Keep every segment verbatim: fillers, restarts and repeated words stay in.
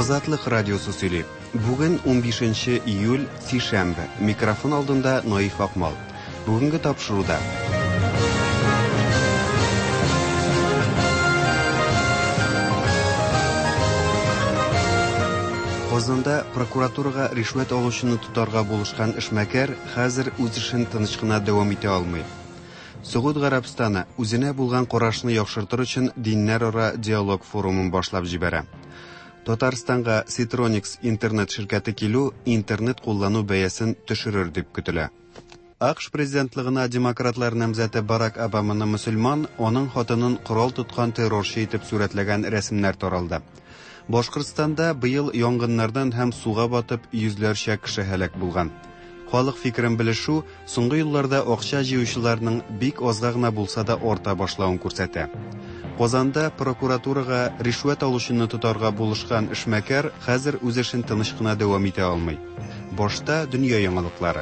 Азатлык радиосы сөйли. Бүген унбишенче июль, сишәмбе. Микрофон алдында Наиф Акмал. Бүгенге тапшыруда. Казанда прокуратурага ришвәт алучыны тотарга булышкан эшмәкәр хәзер үз эшен тыныч кына дәвам итә алмый. Согуд Гарәбстаны үзенә булган карашны яхшыртыр өчен диннәрара диалог форумын башлап җибәрә. Татарстанга Ситроникс интернет ширкәте килү интернет куллану бәясен төшерер дип көтелә. АКШ президентлыгына демократлар намзәте Барак Обаманы мөселман, аның хатынын корал тоткан террорчы итеп сурәтләгән рәсемнәр таралды. Башкортстанда быел янгыннардан һәм суга батып йөзләрчә кеше һәлак булган. Халык фикерен белешү соңгы елларда акча җыючыларның бик азга гына булса да арта башлавын күрсәтә. Казанда прокуратурага ришвәт алучыны тотарга булышкан эшмәкәр хәзер үз эшен тыныч кына дәвам итә алмый. Башта дөнья яңалыклары.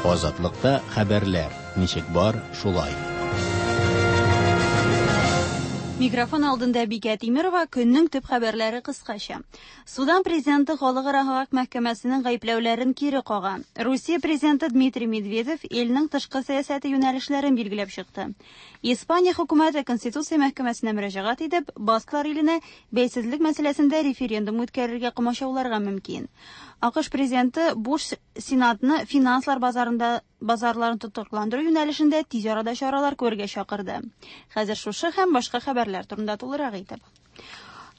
Азатлыкта хәбәрләр ничек бар, шулай. Микрофон алдында Бикә Тимирова, көннең төп хәбәрләре кыскача. Судан президенты Халыкара хак мәхкәмәсенең гаепләүләрен кире кага. Русия президенты Дмитрий Медведев илнең тышкы сәясәте юнәлешләрен билгеләп чыкты. Испания хөкүмәте Конституция мәхкәмәсенә мөрәҗәгать итеп, Басклар иленә бәйсезлек мәсьәләсендә референдум үткәрергә комачауларга мөмкин. АКШ президенты Буш Сенатны финанслар базарында базарларын тотрыкландыру юнәлешендә тиз арада чаралар күрергә чакырды. Хәзер шушы һәм башка хәбәрләр турында тулырак итеп.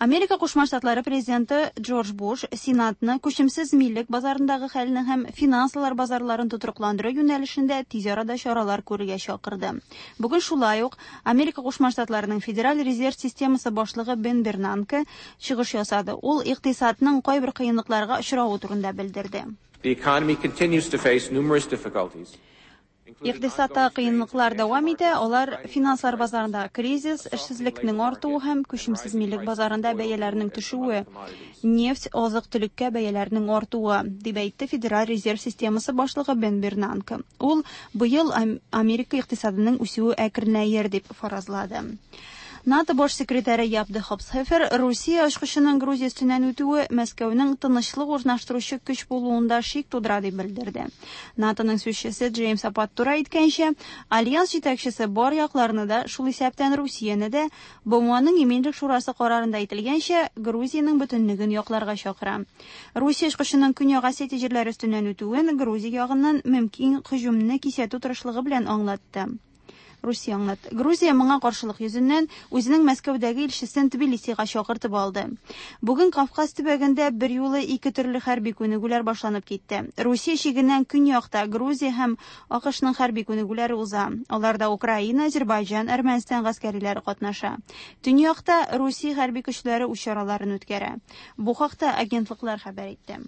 Америка Кушма Штатлары президенты Джордж Буш Сенатны күчемсез милек базарындагы хәлне һәм финанслар базарларын тотрыкландыру юнәлешендә тиз арада чаралар күрергә чакырды. Бүген шулай ук Америка Кушма Штатларының Федераль резерв системасы башлыгы Бен Бернанке чыгыш ясады. Ул икътисадның кайбер кыенлыкларга очравы турында белдерде. The economy continues to face numerous difficulties. Икътисадта кыенлыклар дәвам итә, алар финанслар базарында кризис, эшсезлекнең артуы һәм күчемсез милек базарында бәяләрнең төшүе, нефть, азык-төлеккә бәяләрнең артуы, дип әйтте Федераль резерв системасы башлыгы Бен Бернанке. Ул быел Америка икътисадының үсүе әкренәер дип фаразлады. НАТО баш секретаре Яп де Хопсхефер Русия очкычының Грузия өстеннән үтүе Мәскәүнең тынычлык урнаштыручы көч булуында шик тудыра дип белдерде. НАТОның сүзчесе Джеймс Апаттура әйткәнчә, альянс җитәкчесе бар якларны да, шул исәптән Русияне дә, БМОның Иминлек шурасы карарында әйтелгәнчә, Грузиянең бөтенлеген якларга чакыра. Русия очкычының Көньяк Осетия җирләре өстеннән үтүен Грузия ягыннан мөмкин һөҗүмне кисәтү тырышлыгы белән аңлатты. Русия аңлатты. Грузия моңа каршылык йөзеннән үзенең Мәскәүдәге илчесен Тбилисига чакыртып алды. Бүген Кавказ төбәгендә бер юлы ике төрле хәрби күнегүләр башланып китте. Русия чигеннән көньякта Грузия һәм АКШның хәрби күнегүләре уза. Аларда Украина, Азербайҗан, Әрмәнстан гаскәриләре катнаша. Төньякта Русия хәрби көчләре үз чараларын үткәрә. Бу хакта агентлыклар хәбәр итте.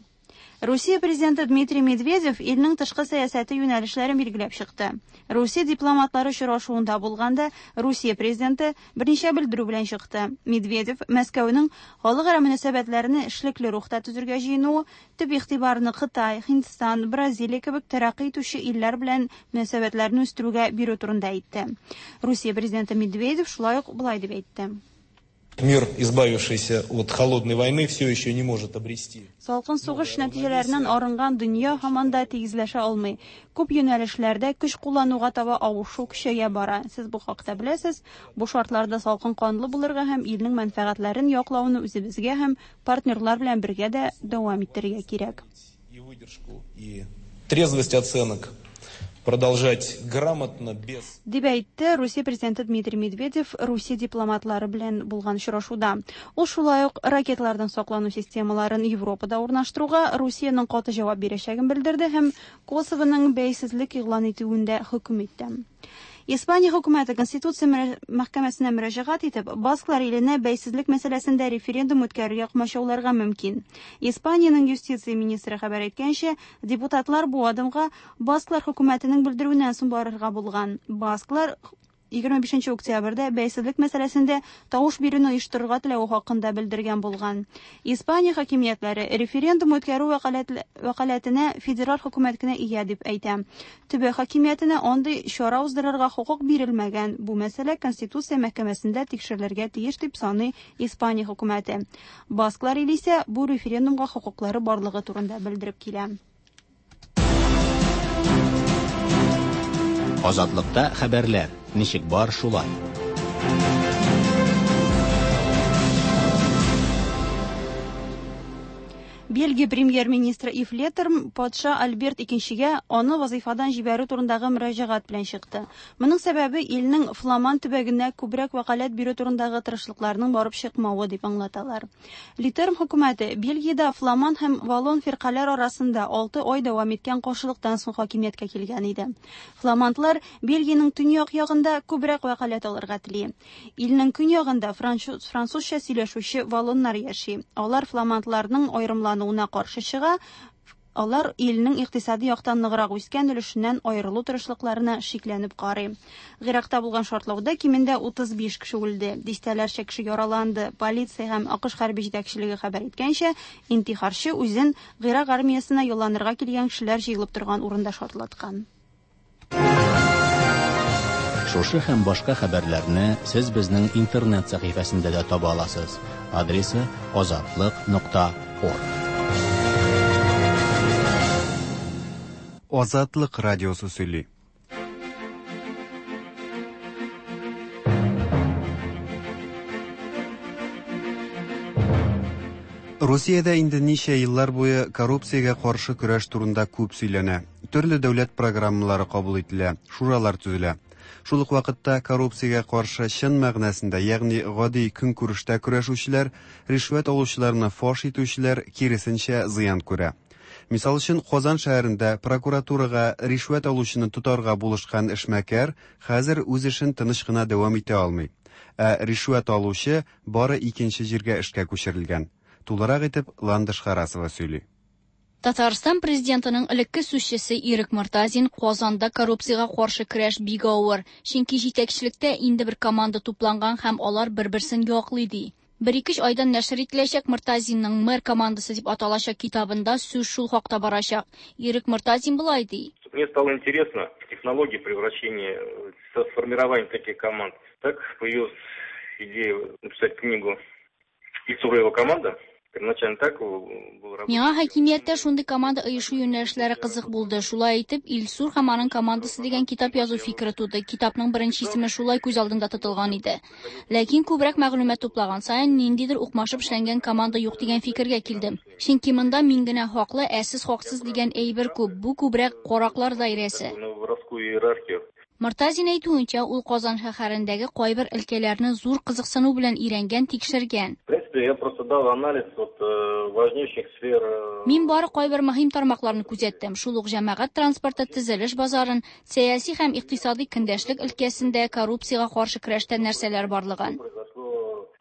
Русия президенты Дмитрий Медведев илнең тышкы сәясәте юнәлешләрен билгеләп чыкты. Русия дипломатлары очрашуында булганда Русия президенты берничә белдерү белән чыкты. Медведев Мәскәүнең халыкара мөнәсәбәтләрне эшлекле рухта төзергә җыенуы, төп игътибарны Кытай, Һиндстан, Бразилия кебек тәрәккый итүче илләр белән мөнәсәбәтләрне үстерүгә бирү турында әйтте. Русия президенты Медведев шулай ук болай дип әйтте. Мир, избавившийся от холодной войны, все еще не может обрести. Салкын сугыш нәтиҗәләреннән арынган дөнья һаман да тигезләшә алмый. Күп юнәлешләрдә көч куллануга таба авышу көчәя бара. Сез бу хакта беләсез. Бу шартларда салкын канлы булырга һәм илнең мәнфәгатьләрен яклауны үзебезгә һәм партнерлар белән бергә дә дәвам иттерергә кирәк. И выдержку, и трезвость оценок продолжать грамотно, без... Дип әйтте Русия президенты Дмитрий Медведев Русия дипломатлары белән булган очрашуда. Ул шулай ук ракетлардан саклану системаларын Европада урнаштыруга Русиянең каты җавап бирәчәген белдерде һәм Косовоның бәйсезлек игълан итүен дә хөкем итте. Испания хөкүмәте Конституция мәхкәмәсенә мөрәҗәгать итеп, Басклар иленә бәйсезлек мәсьәләсендә референдум үткәрергә комачауларга мөмкин. Испаниянең юстиция министры хәбәр иткәнчә, депутатлар бу адымга Басклар хөкүмәтенең белдерүеннән соң барырга булган. Басклар егерме бишенче октябрьдә бәйсезлек мәсьәләсендә тавыш бирүне оештырырга теләве хакында белдергән булган. Испания хакимиятләре референдум үткәрү вәкаләтенә федераль хөкүмәт кенә ия дип әйтә. Төбәк хакимиятенә андый чара уздырырга хокук бирелмәгән. Бу мәсьәлә Конституция мәхкәмәсендә тикшерелергә тиеш дип саный Испания хөкүмәте. Басклар исә бу референдумга хокуклары барлыгы турында белдереп килә. Азатлыкта хәбәрләр ничек бар шулай. Бельгия премьер-министры Ив Летерм патша Альберт икенчегә аны вазифадан җибәрү турындагы мөрәҗәгать белән чыкты. Моның сәбәбе илнең Фламан төбәгенә күбрәк вәкаләт бирү турындагы тырышлыкларның барып чыкмавы дип аңлаталар. Летерм хөкүмәте Бельгиядә Фламан һәм Валлон фиркаләр арасында алты ай дәвам иткән каршылыктан соң хакимияткә килгән иде. Фламандлар Бельгиянең төньяк ягында күбрәк вәкаләт алырга тели. Илнең көньягында французча сөйләшүче валлоннар яши. Алар фламандларның аерымлануы уна каршы чыга, алар илнең икътисади яктан ныграк үскән өлешеннән аерылу тырышлыкларына шикләнеп карый. Гыйракта булган шартлауда кимендә утыз биш кеше үлде, дистәләрчә кеше яраланды. Полиция һәм АКШ хәрби җитәкчелеге хәбәр иткәнчә, интихарчы үзен Гыйрак армиясенә юлланырга килгән кешеләр җыелып торган урында шартлаткан. Шушы һәм башка хәбәрләрне сез безнең интернет сәхифәсендә дә таба аласыз. Адресы азатлык нокта орг. Азатлык радиосы сөйли. Русиядә инде ничә еллар буе коррупциягә каршы көрәш турында күп сөйләнә. Төрле дәүләт программалары кабул ителә, шуралар төзелә. Шул ук вакытта коррупциягә каршы чын мәгънәсендә, ягъни гади көнкүрештә көрәшүчеләр, ришвәт алучыларны фаш итүчеләр киресенчә зыян күрә. Мисал өчен, Казан шәһәрендә прокуратурага ришвәт алучыны тотарга булышкан эшмәкәр хәзер үз эшен тыныч кына дәвам итә алмый. Ә ришвәт алучы бары икенче җиргә эшкә күчерелгән. Тулырак итеп Ландыш Харасова сөйли. Татарстан президентының элекке сүзчесе Ирек Мортазин Казанда коррупциягә каршы көрәш бик авыр, чөнки җитәкчелектә инде бер команда тупланган һәм алар бер-берсен яклый ди. Бер-ике айдан нәшер ителәчәк Мортазинның мэр командасы дип аталачак китабында сүз шул хакта барачак. Ирек Мортазин болай ди. Мне стало интересно технология превращения, формирования таких команд. Так появилась идея написать книгу «Ильсур и его команда». Миңа хакимияттә шундый команда оешу юнәлешләре кызык булды. Шулай итеп, Илсур һәм аның командасы дигән китап язу фикере туды. Китапның беренче исеме шулай күз алдында тотылган иде. Ләкин күбрәк мәгълүмат туплаган саен ниндидер укмашып эшләнгән команда юк дигән фикергә килдем. Чөнки монда мин генә хаклы, ә сез хаксыз дигән әйбер күп. Бу күбрәк караклар даирәсе. Мортазин әйтүенчә, ул Казан шәһәрендәге кайбер өлкәләрне зур кызыксыну белән өйрәнгән, тикшергән. Я просто дал анализ вот важнейших сфер. Мин бары кайбер мөһим тармакларны күзәттем. Шул ук җәмәгать транспорты, төзелеш базарын, сәяси һәм икътисади көндәшлек өлкәсендә коррупциягә каршы көрәштә нәрсәләр барлыгын.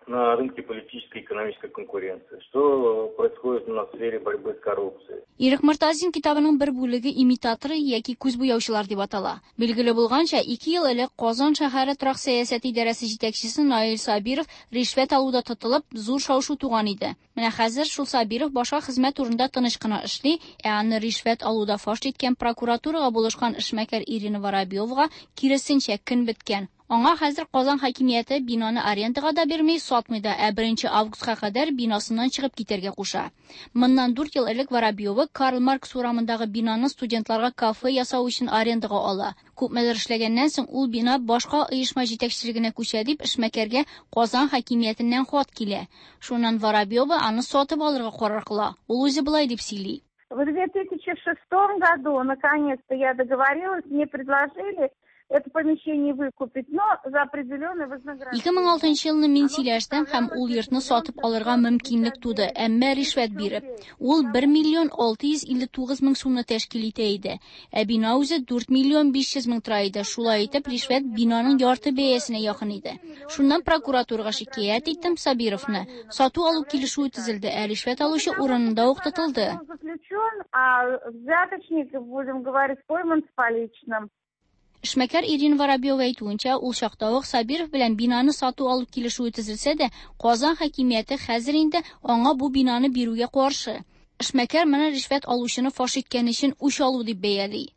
На рынке политической и экономической конкуренции. Что происходит на сфере борьбы с коррупцией? Ирек Мортазин китабының бер бүлеге имитаторы яки күз буяучылар дип атала. Билгеле булганча, ике ел элек Казан шәһәре торак сәясәте идарәсе җитәкчесе Наил Сабиров ришвәт алуда тотылып, зур шау-шу туган иде. Менә хәзер шул Сабиров башка хезмәт урында тыныч кына эшли, ә аны ришвәт алуда фаш иткән прокуратурага булышкан эшмәкәр Ирина Воробьевага киресенчә көн беткән. Аңа хәзер Казан хакимияте бинаны арендага да бирми, сатмый да, ә беренче августка кадәр бинасыннан чыгып китәргә куша. Моннан дүрт ел элек Воробьева Карл Маркс урамындагы бинаны студентларга кафе ясау өчен арендага ала. Күпмедер эшләгәннән соң ул бина башка оешма җитәкчелегенә күчә дип эшмәкәргә Казан хакимиятеннән хат килә. Шуннан Воробьева аны сатып алырга карар кыла. Ул үзе болай дип сөйли. В две тысячи шестом году наконец-то я договорилась, мне предложили это помещение выкупить, но за определенное вознаграждение. ике мең алтынчы елны мин сөйләштем һәм ул йортны сатып алырга мөмкинлек туды, әмма ришвәт биреп. Ул бер миллион алты йөз илле тугыз мең сумны тәшкил итә иде. Ә бина үзе дүрт миллион биш йөз мең тора иде. Шулай итеп, ришвәт бинаның ярты бәясенә якын иде. Шуннан прокуратурага шикаять иттем Сабировны. Сату алу килешүе төзелде, ә ришвәт алучы урынында ук тотылды. Заключен, а взяточник, будем говорить, пойман с поличным. Эшмәкәр Ирина Воробьева әйтүенчә, ул чакта ук Сабиров белән бинаны сату алу килешүе төзелсә дә, Казан хакимияте хәзер инде аңа бу бинаны бирүгә каршы. Эшмәкәр моны ришвәт алучыны фаш иткән өчен үч алу дип бәяли.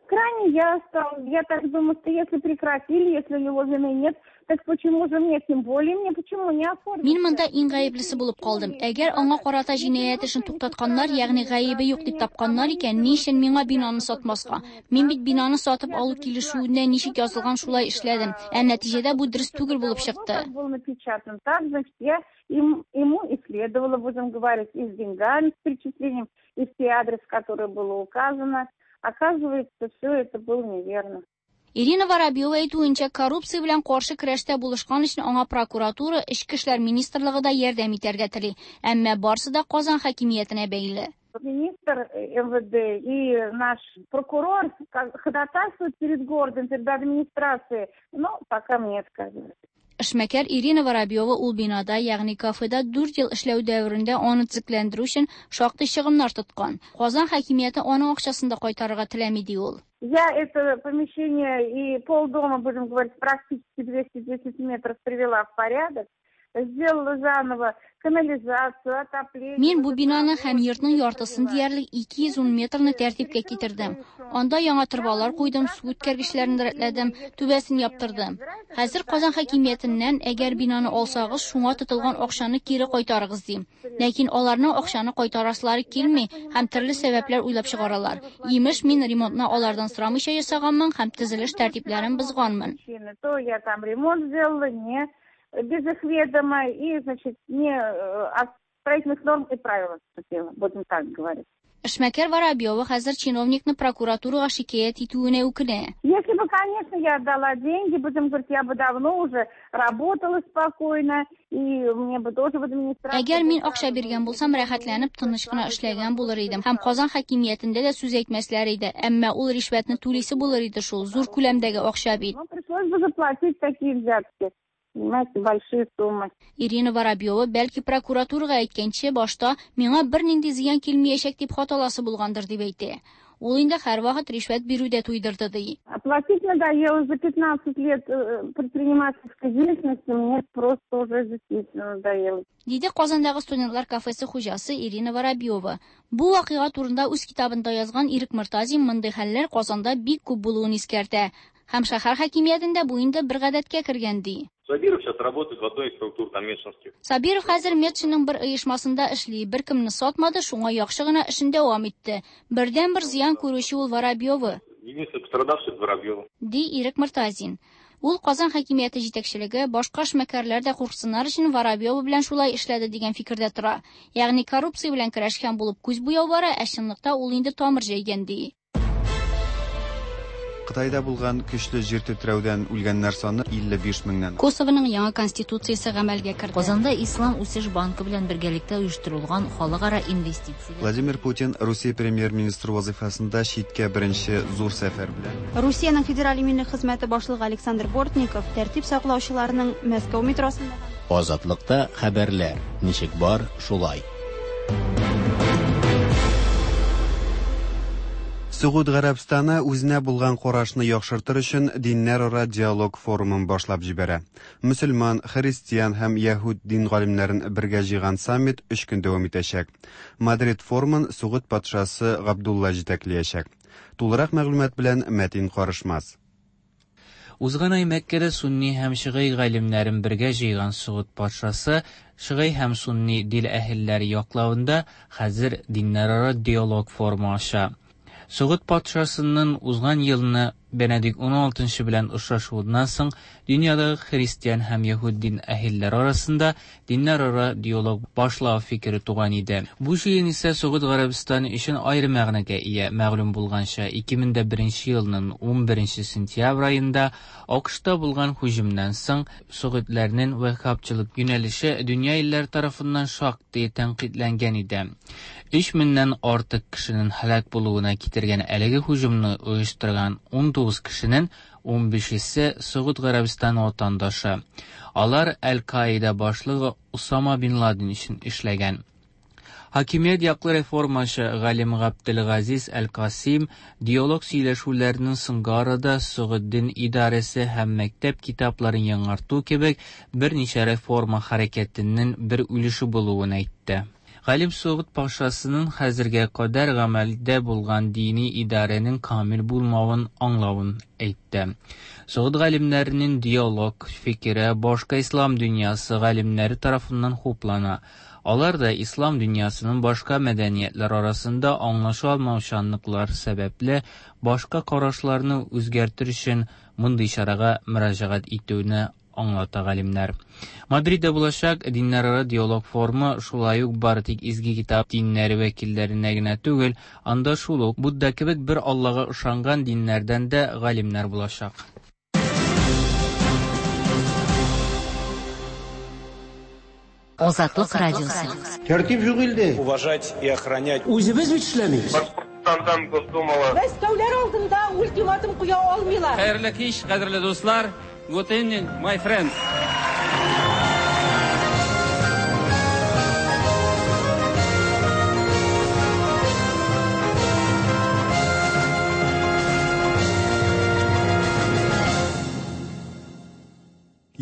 Крайне я стал, я так думаю, что если прекратили, если у него вины нет, так почему же мне, тем более мне, почему не оформить? Мин монда иң гаеплесе булып калдым. Әгәр аңа карата җинаять эшен туктатканнар, ягъни гаебе юк дип тапканнар икән, ни өчен миңа бинаны сатмаска? Мин бит бинаны сатып алу килешүендә ничек язылган шулай эшләдем. Ә нәтиҗәдә бу дөрес түгел булып чыкты. Был напечатан так, значит, я им, ему и следовало, будем говорить, и с деньгами, с перечислением, и все адрес, который было указано. Оказывается, все это было неверно. Ирина Воробьева әйтүенчә, коррупция белән каршы көрәштә булышкан өчен аңа прокуратура, Эчке эшләр министрлыгы да ярдәм итәргә тели. Әмма барсы да Казан хакимиятенә бәйле. Министр эм вэ дэ и наш прокурор ходатайствуют перед городом, перед администрацией, но пока мне отказывают. Эшмәкәр Ирина Воробьева ул бинада, ягъни кафеда дүрт ел эшләү дәверендә аны төзекләндерү өчен шактый чыгымнар тоткан. Казан хакимияте аның акчасын да кайтарырга теләми, ди ул. Я это помещение и полдома, будем говорить, практически двести десять метров привела в порядок. Сделала заново канализацию, отопление. Мин бу бинаны һәм йортның яртысын диярлек ике йөз ун метрны тәртипкә китердем. Анда яңа торбалар куйдым, су үткәргечләрен рәтләдем, түбәсен яптырдым. Хәзер Казан хакимиятеннән, әгәр бинаны алсагыз, шуңа тотылган акчаны кире кайтарыгыз дим. Ләкин аларның акчаны кайтарасылары килми һәм төрле сәбәпләр уйлап чыгаралар. Имеш, мин ремонтны алардан сорамыйча ясаганмын һәм төзелеш тәртипләрен бозганмын. То я там ремонт сделала, не без их ведома и, значит, не э, от строительных норм и правил отступила, будем так говорить. Эшмәкәр Воробьева хәзер чиновникны прокуратурага шикаять итүенә үкенә. Если бы, конечно, я отдала деньги, будем говорить, я бы давно уже работала спокойно, и мне бы тоже в администрации. Әгәр мин акча биргән булсам, рәхәтләнеп, тыныч кына эшләгән булыр идем. Һәм Казан хакимиятендә дә сүз әйтмәсләр иде. Әмма ул ришвәтне түлисе булыр иде шул, зур күләмдәге акча бит. Ну, пришлось бы заплатить такие взятки. Понимаете, большие суммы. Ирина Воробьева бәлки прокуратурага әйткәнче башта миңа бернинди зыян килмәячәк дип хаталасы булгандыр дип әйтә. Ул инде һәрвакыт ришвәт бирүдә туйдырды ди. Платить надоело за пятнадцать лет э, предпринимательской деятельности, мне просто уже действительно надоело. Диде Казандагы студентлар кафесы хуҗасы Ирина Воробьева. Бу вакыйга турында үз китабында язган Ирек Мортазин мондый хәлләр Казанда бик күп булуын искәртә. Һәм шәһәр хакимиятендә бу инде бер гадәткә кергән ди. Сабиров сейчас работает в одной из структур там метшинских. Сабиров хәзер Метшинның бер оешмасында эшли, беркемне сатмады, шуңа яхшы гына эшен дәвам итте. Бердән-бер зыян күрүче ул Воробьева. Единственный пострадавший — Воробьева. Ди Ирек Мортазин. Ул Казан хакимияте җитәкчелеге, башка эшмәкәрләр дә курксыннар өчен Воробьева белән шулай эшләде дигән фикердә тора. Ягъни коррупция белән көрәшкән булып күз буяу бара, ә чынлыкта ул инде тамыр җәйгән ди. Кытайда булган көчле җир тетрәүдән үлгәннәр саны илле биш меңнән. Косованың яңа конституциясе гамәлгә керде. Казанда Ислам үсеш банкы белән бергәлектә оештырылган халыкара инвестицияләр Владимир Путин Русия премьер-министры вазифасында читкә беренче зур сәфәр белән. Русиянең Федераль иминлек хезмәте башлыгы Александр Бортников тәртип саклаучыларның Мәскәү метросында Азатлыкта хәбәрләр ничек бар, шулай. Согуд Гарәбстаны үзенә булган карашны яхшыртыр өчен диннәрара диалог форумын башлап җибәрә. Мөселман, христиан һәм яһүд дин галимнәрен бергә җыйган саммит өч көн дәвам итәчәк. Мадрид форумын Согуд патшасы Габдулла җитәкләячәк. Тулырак мәгълүмат белән Мәтин Карышмас. Узган ай Мәккәдә сунни һәм шигый галимнәрен бергә җыйган Согуд патшасы шигый һәм сунни дин әһелләре яклавында хәзер диннәрара диалог форумы ача. Согуд патшасының узган елны Бенедикт уналтынчы белән очрашуыннан соң дөньядагы христиан һәм яһүд дин әһелләре арасында диннәрара диалог башлау фикере туган иде. Бу җыен исә Согуд Гарәбстаны өчен аерым мәгънәгә ия. Мәгълүм булганча, ике мең беренче елның унберенче сентябрь аенда АКШта булган һөҗүмнән соң согудларның ваххабчылык юнәлеше дөнья илләре тарафыннан шактый тәнкыйтьләнгән иде. Өч меңнән артык кешенең һәлак булуына китергән әлеге һөҗүмне оештырган унтугыз кешенең унбишесе Согуд Гарәбстаны ватандашы. Алар Әл-Каида башлыгы Усама бин Ладен өчен эшләгән. Хакимият яклы реформачы галим Габделгазиз Әл-Касим диалог сөйләшүләренең соңгы арада Согуд дин идарәсе һәм мәктәп китапларын яңарту кебек берничә реформа хәрәкәтенең бер өлеше булуын әйтте. Галим Согуд патшасының хәзергә кадәр гамәлдә булган дини идарәнең камил булмавын аңлавын әйтте. Согуд галимнәренең диалог фикере башка ислам дөньясы галимнәре тарафыннан хуплана. Алар да ислам дөньясының башка мәдәниятләр арасында аңлаша алмаучанлыклар сәбәпле башка карашларны үзгәртер өчен мондый чарага мөрәҗәгать итүне аңлата галимнәр. Мадридда булачак диннәрара диалог форумы шулай ук бары тик изге китап диннәре вәкилләренә генә түгел, анда шул ук Будда кебек бер Аллага ышанган диннәрдән дә галимнәр булачак. Азатлык радиосы. Тәртип юк илдә. Уважать и охранять. Үзебез бит эшләмибез. Башкортстандан Госдумала. Мәскәүләр алдында ультиматум куя алмыйлар. Хәерле кич, кадерле дуслар. Good evening, my friends.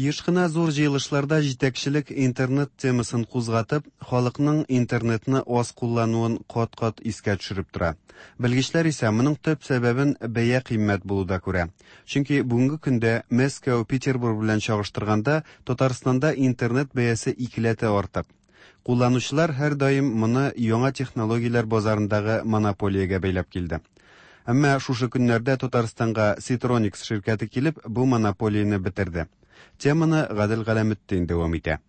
Еш кына зур җыелышларда җитәкчелек интернет темасын кузгатып, халыкның интернетны аз куллануын кат-кат искә төшереп тора. Белгечләр исә моның төп сәбәбен бәя кыйммәт булуда күрә. Чөнки бүгенге көндә Мәскәү, Петербург белән чагыштырганда Татарстанда интернет бәясе икеләтә артык. Кулланучылар һәр даим моны яңа технологияләр базарындагы монополиягә бәйләп килде. Әмма шушы көннәрдә Татарстанга Ситроникс ширкәте килеп, бу монополияне бетерде. Теманы Гадел Галәметдин дәвам итә.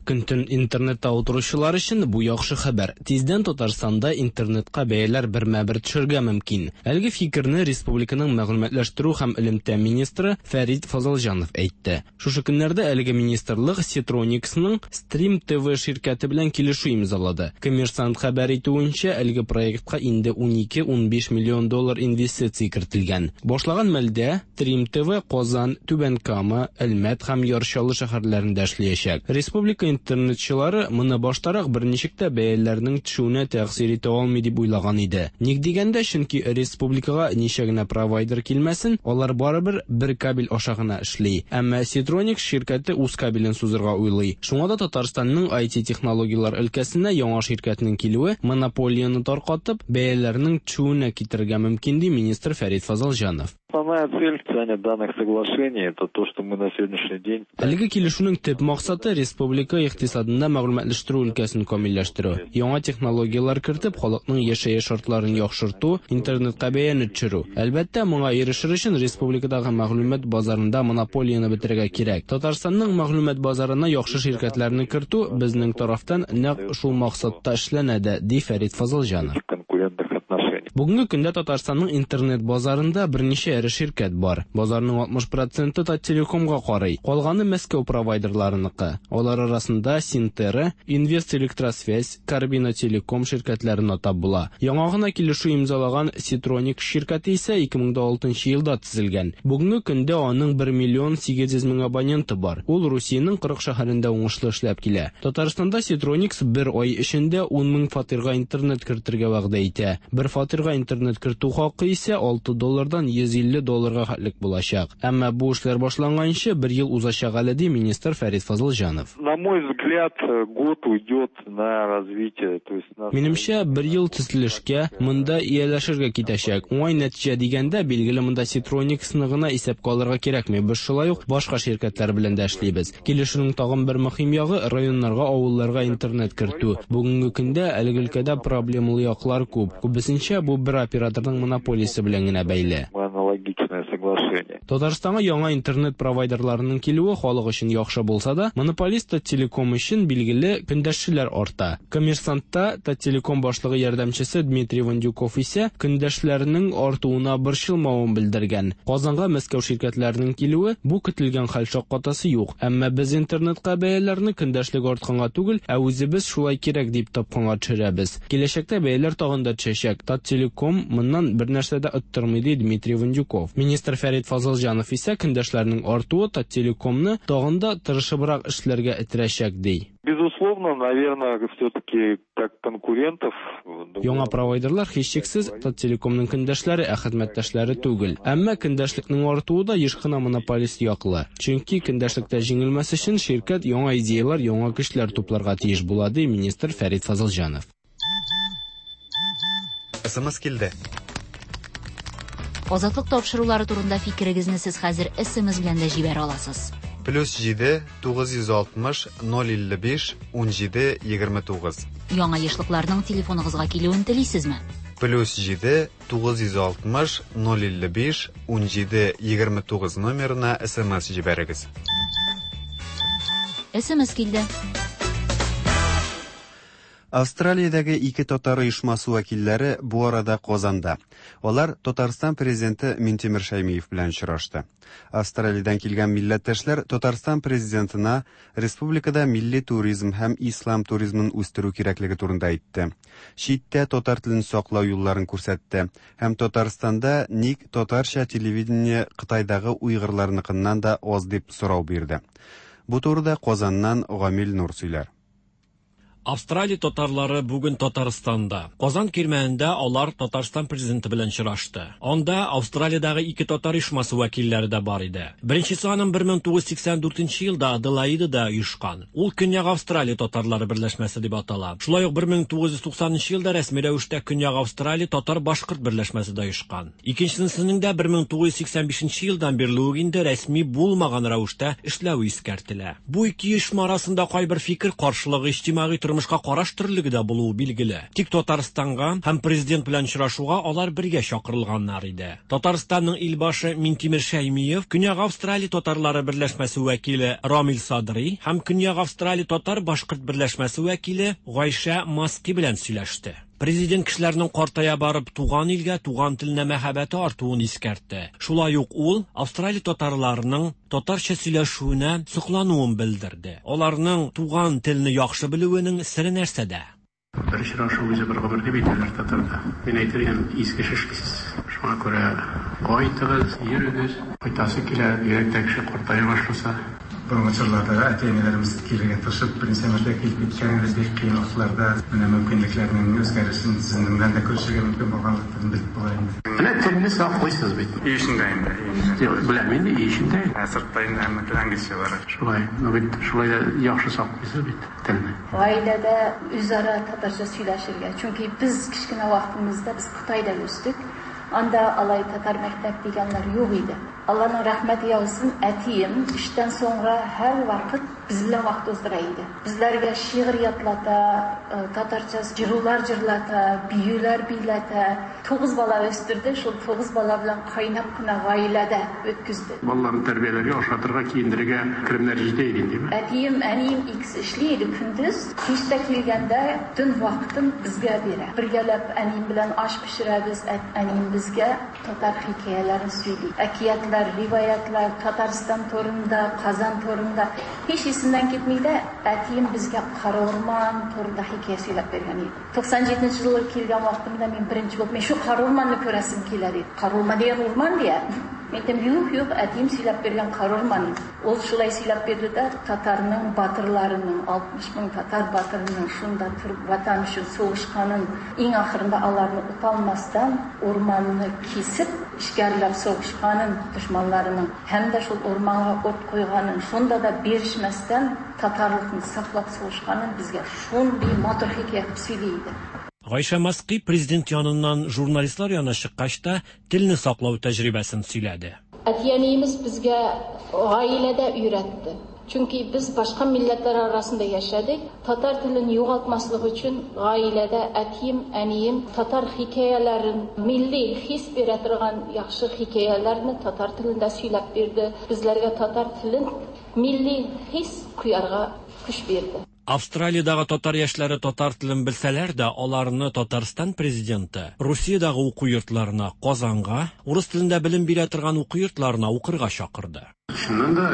Көн-төн интернетта утыручылар өчен бу яхшы хәбәр. Тиздән Татарстанда интернетка бәяләр бермә-бер төшергә мөмкин. Әлеге фикерне республиканың мәгълүматлаштыру һәм элемтә министры Фәрит Фазылҗанов әйтте. Шушы көннәрдә әлеге министрлык Ситрониксның Stream ти ви ширкәте белән килешү имзалады. Коммерсант хәбәр итүенчә, әлеге проектка инде ун ике-ун биш миллион доллар инвестиция кертелгән. Башлаган мәлдә Stream ти ви Казан, Түбән Кама, Әлмәт һәм Яр Чаллы шәһәрләрендә эшләячәк. Республика интернетчылары моны баштарак берничек тә бәяләрнең төшүенә тәэсир итә алмый дип уйлаган иде. Ник дигәндә, чөнки республикага ничә генә провайдер килмәсен, алар барыбер бер кабель аша гына эшли. Әмма Ситроникс ширкәте үз кабелен сузырга уйлый. Шуңа да Татарстанның ай ти технологияләр өлкәсенә яңа ширкәтнең килүе монополияне таркатып, бәяләрнең төшүенә китерергә мөмкин, ди министр Фәрит Фазылҗанов. Основная цель подписания данных соглашений это то, что мы на сегодняшний день. Әлеге килешүнең төп максаты республика икътисадында мәгълүматлаштыру өлкәсен камилләштерү, яңа технологияләр кертеп, халыкның яшәеш шартларын яхшырту, интернетка бәяне төшерү. Әлбәттә, моңа ирешер өчен республикадагы мәгълүмат базарында монополияне бетерергә кирәк. Татарстанның мәгълүмат базарына яхшы ширкәтләрне кертү безнең тарафтан нәкъ шул максатта эшләнә дә, ди Фәрит Фазылҗанов. Бүгенге көндә Татарстанның интернет базарында берничә эре ширкәт бар. Базарның алтмыш проценты Таттелекомга карый, калганы Мәскәү провайдерларыныкы. Алар арасында Синтера, Инвест Электросвязь, Карбина Телеком ширкәтләрен атап була. Яңа гына килешү имзалаган Ситроникс ширкәте исә ике мең алтынчы елда төзелгән. Бүгенге көндә аның бер миллион сигез йөз мең абоненты бар. Ул Русиянең кырык шәһәрендә уңышлы эшләп килә. Татарстанда Ситроникс бер ай эчендә ун мең фатирга интернет кертергә вәгъдә итә. Бер фатирга интернет кертү хакы исә алты доллардан йөз илле долларга хәтлек булачак. Әмма бу эшләр башланганчы бер ел узачак әле, ди министр Фәрит Фазылҗанов. На мой взгляд, год уйдет на развитие, то есть на Минемчә, бер ел төзелешкә, монда ияләшергә китәчәк. Уңай нәтиҗә дигәндә, билгеле, монда Ситрониксны гына исәпкә алырга кирәкми. Без шулай ук башка ширкәтләр белән дә эшлибез. Килешүнең тагын бер мөһим ягы районнарга, авылларга интернет кертү. Бүгенге көндә әлеге өлкәдә проблемалы яклар күп. Күбесенчә бу бер операторның монополиясе белән генә бәйле. Аналогичное соглашение. Татарстанга яңа интернет провайдерларының килүе халык өчен яхшы булса да, монополист Таттелеком өчен билгеле көндәшчеләр арта. Коммерсантта Таттелеком башлыгы ярдәмчесе Дмитрий Вандюков исә көндәшләрнең артуына борчылмавын белдергән. Казанга Мәскәү ширкәтләренең килүе бу көтелгән хәл, шаккатасы юк. Әмма без интернетка бәяләрне көндәшлек артканга түгел, ә үзебез шулай кирәк дип тапканга төшерәбез. Киләчәктә бәяләр тагын да төшәчәк. Таттелеком моннан бер нәрсә дә оттырмый, ди Дмитрий Вандюков. Министр Фәрит Фәрит Фазылҗанов исә көндәшләрнең артуы Таттелекомны тагын да тырышыбрак эшләргә этәрәчәк, ди. Безусловно, наверное, все-таки как конкурентов. Яңа провайдерлар һичшиксез Таттелекомның көндәшләре, ә хезмәттәшләре түгел. Әмма көндәшлекнең артуы да еш кына монополист яклы. Чөнки көндәшлектә җиңелмәс өчен ширкәт яңа идеялар, яңа көчләр тупларга тиеш була, ди министр Фәрит Фазылҗанов. СМС килде. Азатлык тапшырулары турында фикерегезне сез хәзер СМС белән дә җибәрә аласыз. Плюс җиде тугыз йөз алтмыш ноль илле биш ун җиде егерме тугыз. Яңа ешлыкларның телефоныгызга килүен телисезме? Плюс җиде тугыз йөз алтмыш ноль илле биш ун җиде егерме тугыз номерына СМС җибәрегез. СМС килде. Австралиядәге ике татар оешмасы вәкилләре бу арада Казанда. Алар Татарстан президенты Минтимер Шәймиев белән очрашты. Австралиядән килгән милләттәшләр Татарстан президентына республикада милли туризм һәм ислам туризмын үстерү кирәклеге турында әйтте. Читтә татар телен саклау юлларын күрсәтте һәм Татарстанда ник татарча телевидение Кытайдагы уйгырларныкыннан да аз дип сорау бирде. Бу турыда Казаннан Гамил Нур сөйләр. Австралия татарлары бүген Татарстанда. Казан кирмәнендә алар Татарстан президенты белән очрашты. Анда Австралиядәге ике татар оешмасы вәкилләре дә бар иде. Беренчесе аның бер мең тугыз йөз сиксән дүртенче елда Аделаидада оешкан. Ул Көньяк Австралия татарлары берләшмәсе дип атала. Шулай ук бер мең тугыз йөз туксанынчы елда рәсми рәвештә Көньяк Австралия татар-башкорт берләшмәсе дә оешкан. Икенчесенең дә бер мең тугыз йөз сиксән бишенче елдан бирле үк инде рәсми булмаган рәвештә эшләве искәртелә. Бу ике оешма арасында кайбер фикер каршылыгы, иҗтимагый тормышка караш төрлелеге дә булуы билгеле. Тик Татарстанга һәм президент белән очрашуга алар бергә чакырылганнар иде. Татарстанның илбашы Минтимер Шәймиев, Көньяк Австралия татарлары берләшмәсе вәкиле Рамил Садри һәм Көньяк Австралия татар-башкорт берләшмәсе вәкиле Гайшә Маски белән сөйләште. Президент кешеләрнең картая барып туган илгә, туган теленә мәхәббәте артуын искәртте. Шулай ук ул Австралия татарларының татарча сөйләшүенә соклануын белдерде. Аларның туган телне яхшы белүенең сере нәрсәдә? Бер очрашу үзе бер гомер дип әйтәләр татарда. Мин әйтер идем, изге эш эшлисез. Шуңа күрә кайтыгыз, йөрегез. Кайтасы килә, бигрәк тә кеше картая башласа. Борынгы чорларда әти-әниләребез килергә тырышып, беренче мәртәбә килеп киткәнебез бик кыен вакытларда менә мөмкинлекләрнең үзгәрешен сезнең белән дә күрешергә мөмкин булганлыктан белеп була инде. Менә телне саклыйсыз бит. Өй эчендә инде. Беләм инде, өй эчендә. Ә сыртта инде һәммә тел английча бара. Шулай, но бит шулай да яхшы саклыйсыз бит телне. Гаиләдә үзара татарча сөйләшергә. Чөнки без кечкенә вакытыбызда без Кытайда үстек. Анда алай татар мәктәп дигәннәр юк иде. Алланың рәхмәте яусын, әтием эштән соңра һәр вакыт без белән вакыт уздыра иде. Безләргә шигырь ятлата, татарча җырулар җырлата, биюләр биләтә. Тугыз бала үстерде, шул тугыз бала белән кайнап кына гаиләдә үткүздө. Балаларны тәрбияләргә, ашатырга, киендерергә керемнәр җитә иде, димме? Әтием, әнием икесе эшли иде көндез. Кичтә килгәндә төн вакытын безгә бирә. Бергәләп әнием белән аш пешерәбез, әнием безгә татар хикәяләрен сөйли. Әкиятләр, риваятлар, Татарстан турында, Казан турында һич исемнән китми дә, әтием безгә Кара урман турында хикәя сөйләп биргән иде. туксан җиденче елы килгән вакытымда мин беренче булып, мин шу Кара урманны күрәсем килә диде. Кара урман дигән урман дия. Мин әйтәм, юк, юк, әтием сөйләп биргән Кара урман. Ул шулай сөйләп бирде дә, татарның батырларының, алтмыш мең татар батырының шунда торып ватан өчен сугышканын, иң ахырында аларны оталмастан урманны кисеп, эшкәрләп сугышканын дошманларының һәм дә шул урманга ут куйганын, шунда да бирешмәстән татарлыкны саклап сугышканын безгә шундый матур хикәя кылып сөйли иде. Гайшә Маски президент яныннан журналистлар янына чыккач та телне саклау тәҗрибәсен сөйләде. Әти-әниебез безгә гаиләдә өйрәтте. Чөнки без башка милләтләр арасында яшәдек. Татар телен югалтмаслык өчен гаиләдә әтием, әнием татар хикәяләрен, милли хис бирә торган яхшы хикәяләрне татар телендә сөйләп бирде. Безләргә татар телен милли хис куярга көч бирде. Австралиядагы татар яшьләре татар телен белсәләр дә, аларны Татарстан президенты Русиядагы уку йортларына, Казанга, урыс телендә белем бирә торган уку йортларына укырга чакырды. Чыннан да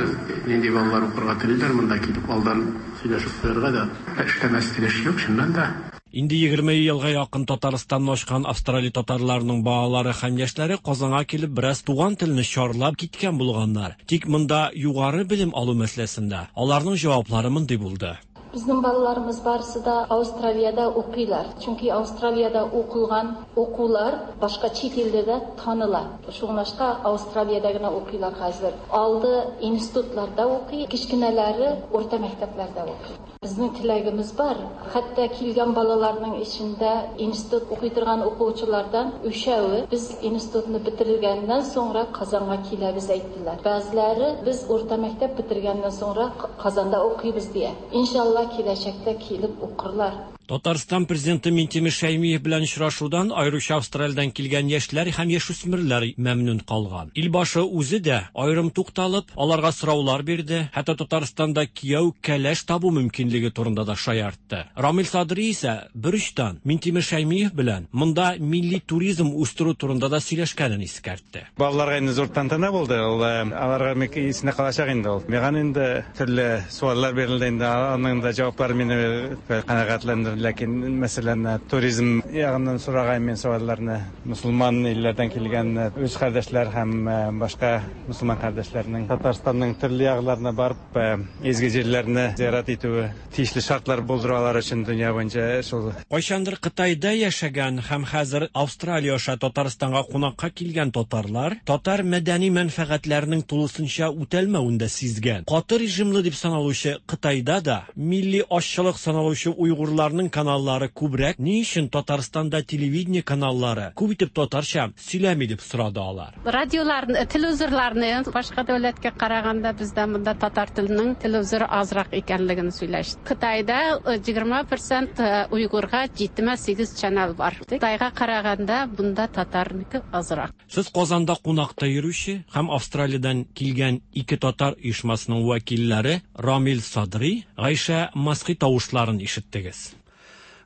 нинди балалар укырга телиләр, монда килеп алдан сөйләшеп куярга да эшләмәс тел эш юк, чыннан да. Инде егерме елга якын Татарстанны ачкан Австралия татарларының балалары һәм яшьләре Казанга килеп бераз туган телне чарлап киткән булганнар. Тик монда югары белем алу мәсьәләсендә аларның җаваплары мондый булды. Безнең балаларыбыз барысы да Австралиядә укыйлар. Чөнки Австралиядә укылган укулар башка чит илдә дә таныла. Шуңлашка Австралиядә генә укыйлар хәзер. Алды институтларда укый, кечкенәләре урта мәктәпләрдә укый. Безнең теләгебез бар. Хәтта килгән балаларның эчендә институт укый торган укучылардан өчәве без институтны бетергәннән соңра Казанга киләбез әйттеләр. Бәзләре без урта мәктәп бетергәннән соңра Казанда укыйбыз дия. Иншалла киләчәктә килеп укырлар. Татарстан президенты Минтимер Шәймиев белән очрашудан аеруча Австралиядән килгән яшьләр һәм яшүсмерләр мәмнүн калган. Илбашы үзе дә аерым тукталып, аларга сораулар бирде, хәтта Татарстанда кияү кәләш табу мөмкинлеге турында да шаяртты. Рамил Садри исә бер очтан Минтимер Шәймиев белән монда милли туризм үстерү турында да сөйләшкәнен искәртте. Балаларга инде зур тантана булды, ул аларга исенә калачак инде ул. Миңа инде төрле сораулар бирелде инде, аның да җаваплары мине канәгатьләндерде. Ләкин мәсәлән туризм ягыннан сораган мин сорауларны мусулман илләрдән килгән үз кардәшләр һәм башка мусулман кардәшләрнең Татарстанның төрле якларына барып изге җирләрне зиярат итүе тиешле шартлар булдыру алар өчен дөнья буенча шул. Кайчандыр Кытайда яшәгән һәм хәзер Австралия аша Татарстанга кунакка килгән татарлар татар мәдәни мәнфәгатьләренең тулысынча үтәлмәвен дә сизгән. Каты режимлы дип саналучы Кытайда да милли азчылык саналучы уйгырларның каналлары күбрәк, ни өчен Татарстанда телевидение каналлары күп итеп татарча сөйләми дип сорады алар. Радиоларны, телевизорларны башка дәүләткә караганда бездә монда татар теленең телевизоры азрак икәнлеген сөйләште. Кытайда егерме процент уйгырга җитмеш сигез канал бар. Кытайга караганда бунда татарныкы азрак. Сез Казанда кунакта йөрүче һәм Австралиядән килгән ике татар оешмасының вәкилләре Рамил Садри, Гайшә Масхи тавышларын ишеттегез.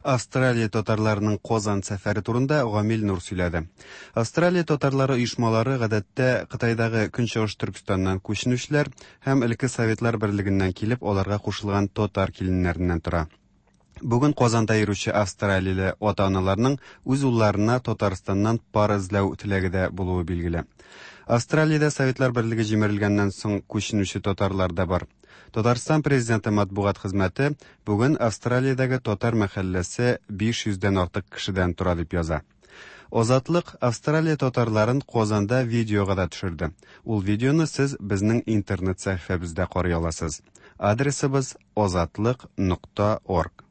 Австралия татарларының Казан сәфәре турында Гамил Нур сөйләде. Австралия татарлары оешмалары гадәттә Кытайдагы Көнчыгыш Төркестаннан күченүчеләр һәм элекке Советлар Берлегеннән килеп аларга кушылган татар киленнәреннән тора. Бүген Казанда йөрүче австралияле ата-аналарның үз улларына Татарстаннан пар эзләү теләге дә булуы билгеле. Австралиядә Советлар Берлеге җимерелгәннән соң күченүче татарлар да бар. Татарстан президенты матбугат хезмәте бүген Австралиядәге татар мәхәлләсе биш йөздән артык кешедән тора дип яза. Азатлык Австралия татарларын Казанда видеога да төшерде. Ул видеоны сез безнең интернет сәхифәбездә карый аласыз. Адресыбыз азатлык нокта орг.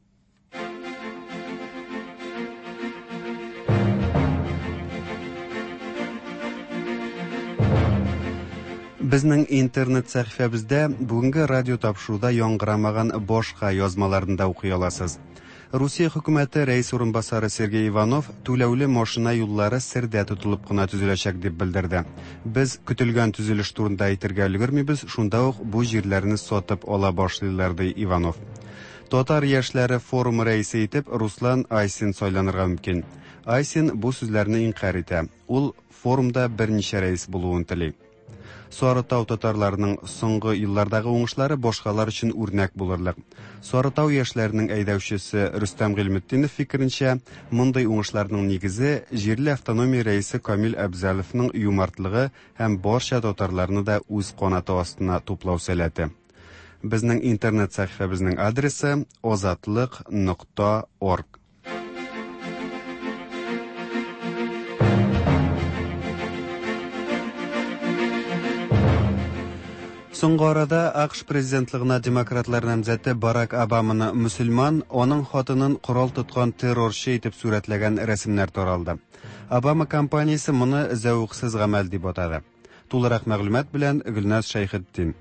Безнең интернет сәхифәбездә бүгенге радио тапшыруда яңгырамаган башка язмаларны да укый аласыз. Русия хөкүмәте рәис урынбасары Сергей Иванов түләүле машина юллары сердә тотылып кына төзеләчәк дип белдерде. Без көтелгән төзелеш турында әйтергә өлгермибез, шунда ук бу җирләрне сатып ала башлыйлар, ди Иванов. Татар яшьләре форумы рәисе итеп Руслан Айсин сайланырга мөмкин. Айсин бу сүзләрне инкарь итә. Ул форумда берничә рәис булуын тели. Сарытау татарларының соңгы еллардагы уңышлары башкалар өчен үрнәк булырлык. Сарытау яшьләренең әйдәүчесе Рөстәм Гыйльметдинов фикеренчә, мондый уңышларның нигезе җирле автономия рәисе Камил Әбзаловның юмартлыгы һәм барча татарларны да үз канаты астына туплау сәләте. Безнең интернет сәхифәбезнең адресы азатлык нокта орг. Соңгы арада АКШ президентлыгына демократлар намзәте Барак Обаманы мөселман, аның хатынын корал тоткан террорчы итеп сурәтләгән рәсемнәр таралды. Обама компаниясе моны зәвыксыз гамәл дип атады. Тулырак мәгълүмат белән Гөлназ Шәйхетдин.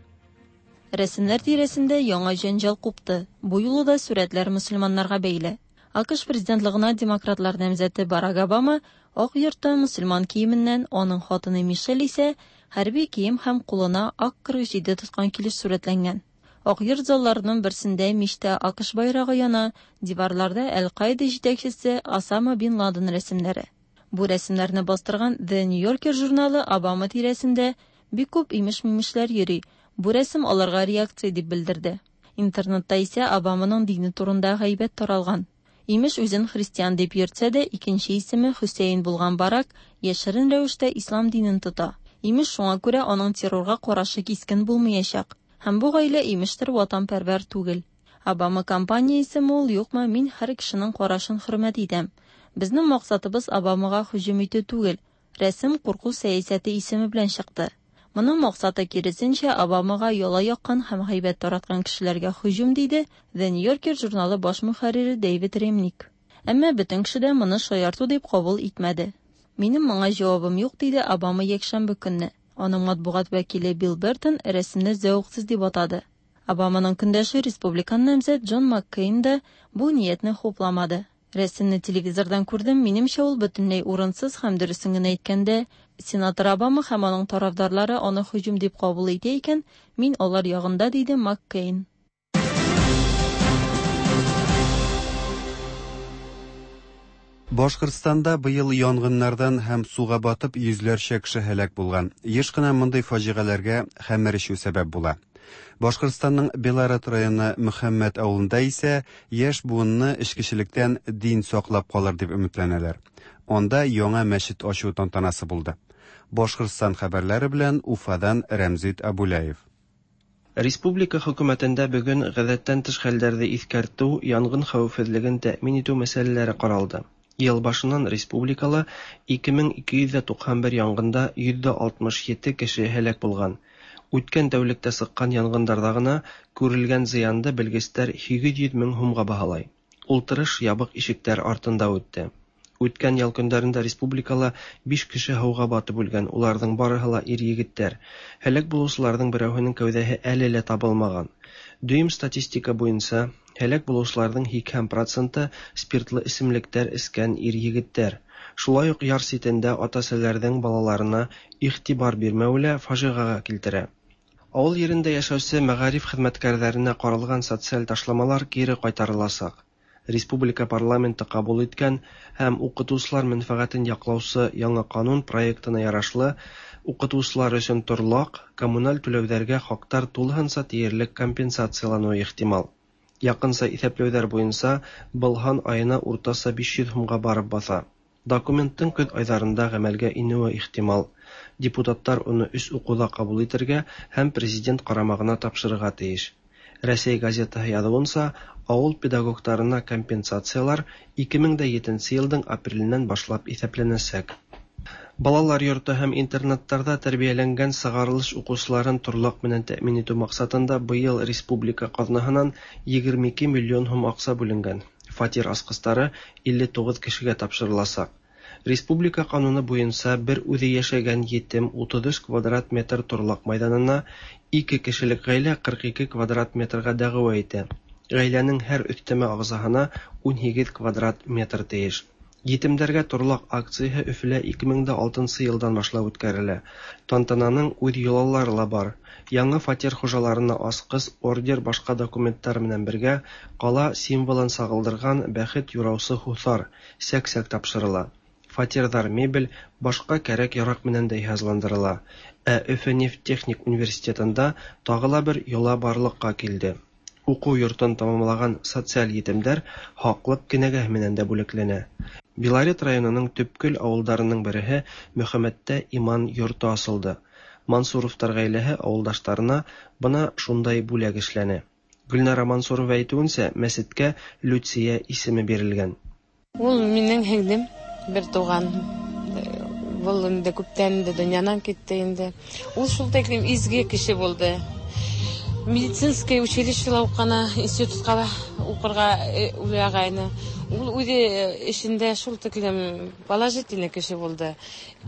Рәсемнәр тирәсендә яңа җәнҗал купты. Бу юлы да сурәтләр мөселманнарга бәйле. АКШ президентлыгына демократлар намзәте Барак Обама Ак йортта мөселман киеменнән, аның хатыны Мишель исә хәрби кием һәм кулына ак кырык җиде тоткан килеш сурәтләнгән. Ак йорт залларының берсендә мичтә АКШ байрагы яна, диварларда Әл-Каида җитәкчесе Осама бин Ладен рәсемнәре. Бу рәсемнәрне бастырган The New Yorker журналы Обама тирәсендә бик күп имеш-мимешләр йөри. Бу рәсем аларга реакция дип белдерде. Интернетта исә Обаманың дине турында гайбәт таралган. Имеш, үзен христиан дип йөртсә дә, икенче исеме Хөсәен булган Барак яшерен рәвештә ислам динен тота. Имеш, шуңа күрә аның террорга карашы кискен булмаячак. Һәм бу гаилә имештер ватанпәрвәр түгел. Обама кампаниясеме ул, юкмы, мин һәр кешенең карашын хөрмәт итәм. Безнең максатыбыз Обамага һөҗүм итү түгел. Рәсем курку сәясәте исеме белән чыкты. Моның максаты киресенчә Обамага яла яккан һәм гайбәт тараткан кешеләргә һөҗүм, диде The New Yorker журналы баш мөхәррире Дэвид Ремник. Әмма бөтен кеше дә моны шаярту дип кабул итмәде. Минем моңа җавабым юк, диде Обама якшәмбе көнне. Аның матбугат вәкиле Билл Бертон рәсемне зәвыксыз дип атады. Обаманың көндәше республикан намзәт Джон Маккейн да бу ниятне хупламады. Рәсемне телевизордан күрдем, минемчә ул бөтенләй урынсыз һәм дөресен генә әйткәндә, сенатор Обама һәм аның тарафдарлары аны һөҗүм дип кабул итә икән, мин алар ягында, диде Маккейн. Башкортстанда быел янгыннардан һәм суга батып йөзләрчә кеше һәлак булган. Еш кына мондый фаҗигаләргә хәмер эчү сәбәп була. Башкортстанның Белорет районы Мөхәммәт авылында исә яшь буынны эчкечелектән дин саклап калыр дип өметләнәләр. Анда яңа мәчет ачу тантанасы булды. Башкортстан хәбәрләре белән Уфадан Рәмзит Абуляев. Республика хөкүмәтендә бүген гадәттән тыш хәлләрҙе иҫкәртеү, янгын хәүефһеҙлеген тәьмин итеү мәсьәләләре ҡаралды. Йыл башынан республикала ике мең ике йөҙ туҡһан бер янгында йөҙ алтмыш ете кеше һәләк булған. Үткән тәүлектә сыҡҡан янгындарҙа ғына күрелгән зыянды белгестәр һигеҙ йөҙ мең һумға баһалай. Ултырыш ябыҡ ишектәр артында үтте. Үткән ял көндәрендә республикала биш кеше һыуға батып үлгән, уларҙың барыһы ла ир-егеттәр. Һәләк булыусыларҙың берәүһенең кәүҙәһе әле лә табылмаған. Дөйөм статистика буйынса, һәләк булыусыларҙың һикһән проценты спиртлы эсемлектәр эскән ир-егеттәр. Шулай уҡ яр ситендә ата-әсәләрҙең балаларына иғтибар бирмәүе лә фажиғаға килтерә. Ауыл ерендә йәшәүсе мәғариф хеҙмәткәрҙәренә ҡаралған социаль ташламалар кире ҡайтарыласаҡ. Республика парламенты ҡабул иткән һәм уҡытыусылар мәнфәғәтен яҡлаусы яңы ҡанун проектына ярашлы, уҡытыусылар өсөн торлаҡ, коммуналь түләүҙәргә хаҡтар тулыһынса тиерлек компенсацияланыуы ихтимал. Яҡынса иҫәпләүҙәр буйынса, был һан айына уртаса биш йөҙ һумға барып баҫа. Документтың көҙ айҙарында ғәмәлгә инеүе ихтимал. Депутаттар уны өс уҡыуҙа ҡабул итергә һәм президент ҡарамағына тапшырырға тейеш. Рәсәй газетаһы яҙыуынса, ауыл педагогтарына компенсациялар ике мең дә етенсе йылдың апреленән башлап иҫәпләнәсәк. Балалар йорто һәм интернаттарҙа тәрбиәләнгән сығарылыш уҡыусыларын торлаҡ менән тәьмин итеү маҡсатында быйыл республика ҡаҙнаһынан егерме ике миллион һум аҡса бүленгән. Фатир асҡыстары илле туғыҙ кешегә тапшырыласаҡ. Республика ҡануны буйынса бер үҙе йәшәгән етем утыҙ өс квадрат метр торлаҡ майҙанына, ике кешелек ғаилә ҡырҡ ике квадрат метрға дәғүә итә. Ғаиләнең һәр өҫтәмә ағзаһына ун һигеҙ квадрат метр тейеш. Етемдәргә торлаҡ акцияһы Өфөлә ике мең дә алтынсы йылдан башлап үткәрелә. Тантананың үҙ йолалары ла бар. Яңы фатир хужаларына асҡыс, ордер, башҡа документтар менән бергә ҡала символын сағылдырған бәхет юраусы һуҫар, сәк-сәк тапшырыла. Фатирҙар мебель, башҡа кәрәк-яраҡ менән дә йыһазландырыла. Ә Өфө нефть техник университетында тағы ла бер йола барлыҡҡа килде. Уҡыу йортон тамамлаған социаль етемдәр һаҡлыҡ кенәгәһе менән дә бүләкләнә. Белорет районының төпкөл ауылдарының береһе Мөхәммәттә иман йорто асылды. Мансуровтар ғаиләһе ауылдаштарына бына шундай бүләк эшләне. Гөлнара Мансурова әйтеүенсә, мәсеткә Люция исеме бирелгән. Ул минең һеңлем, бер туған. Был инде күптән инде донъянан китте инде. Ул шул тиклем изге кеше булды. Медицинское училищела уҡыны, институтҡа уҡырға уйлағайны. Ул үҙе эшендә шул тиклем положительный кеше булды.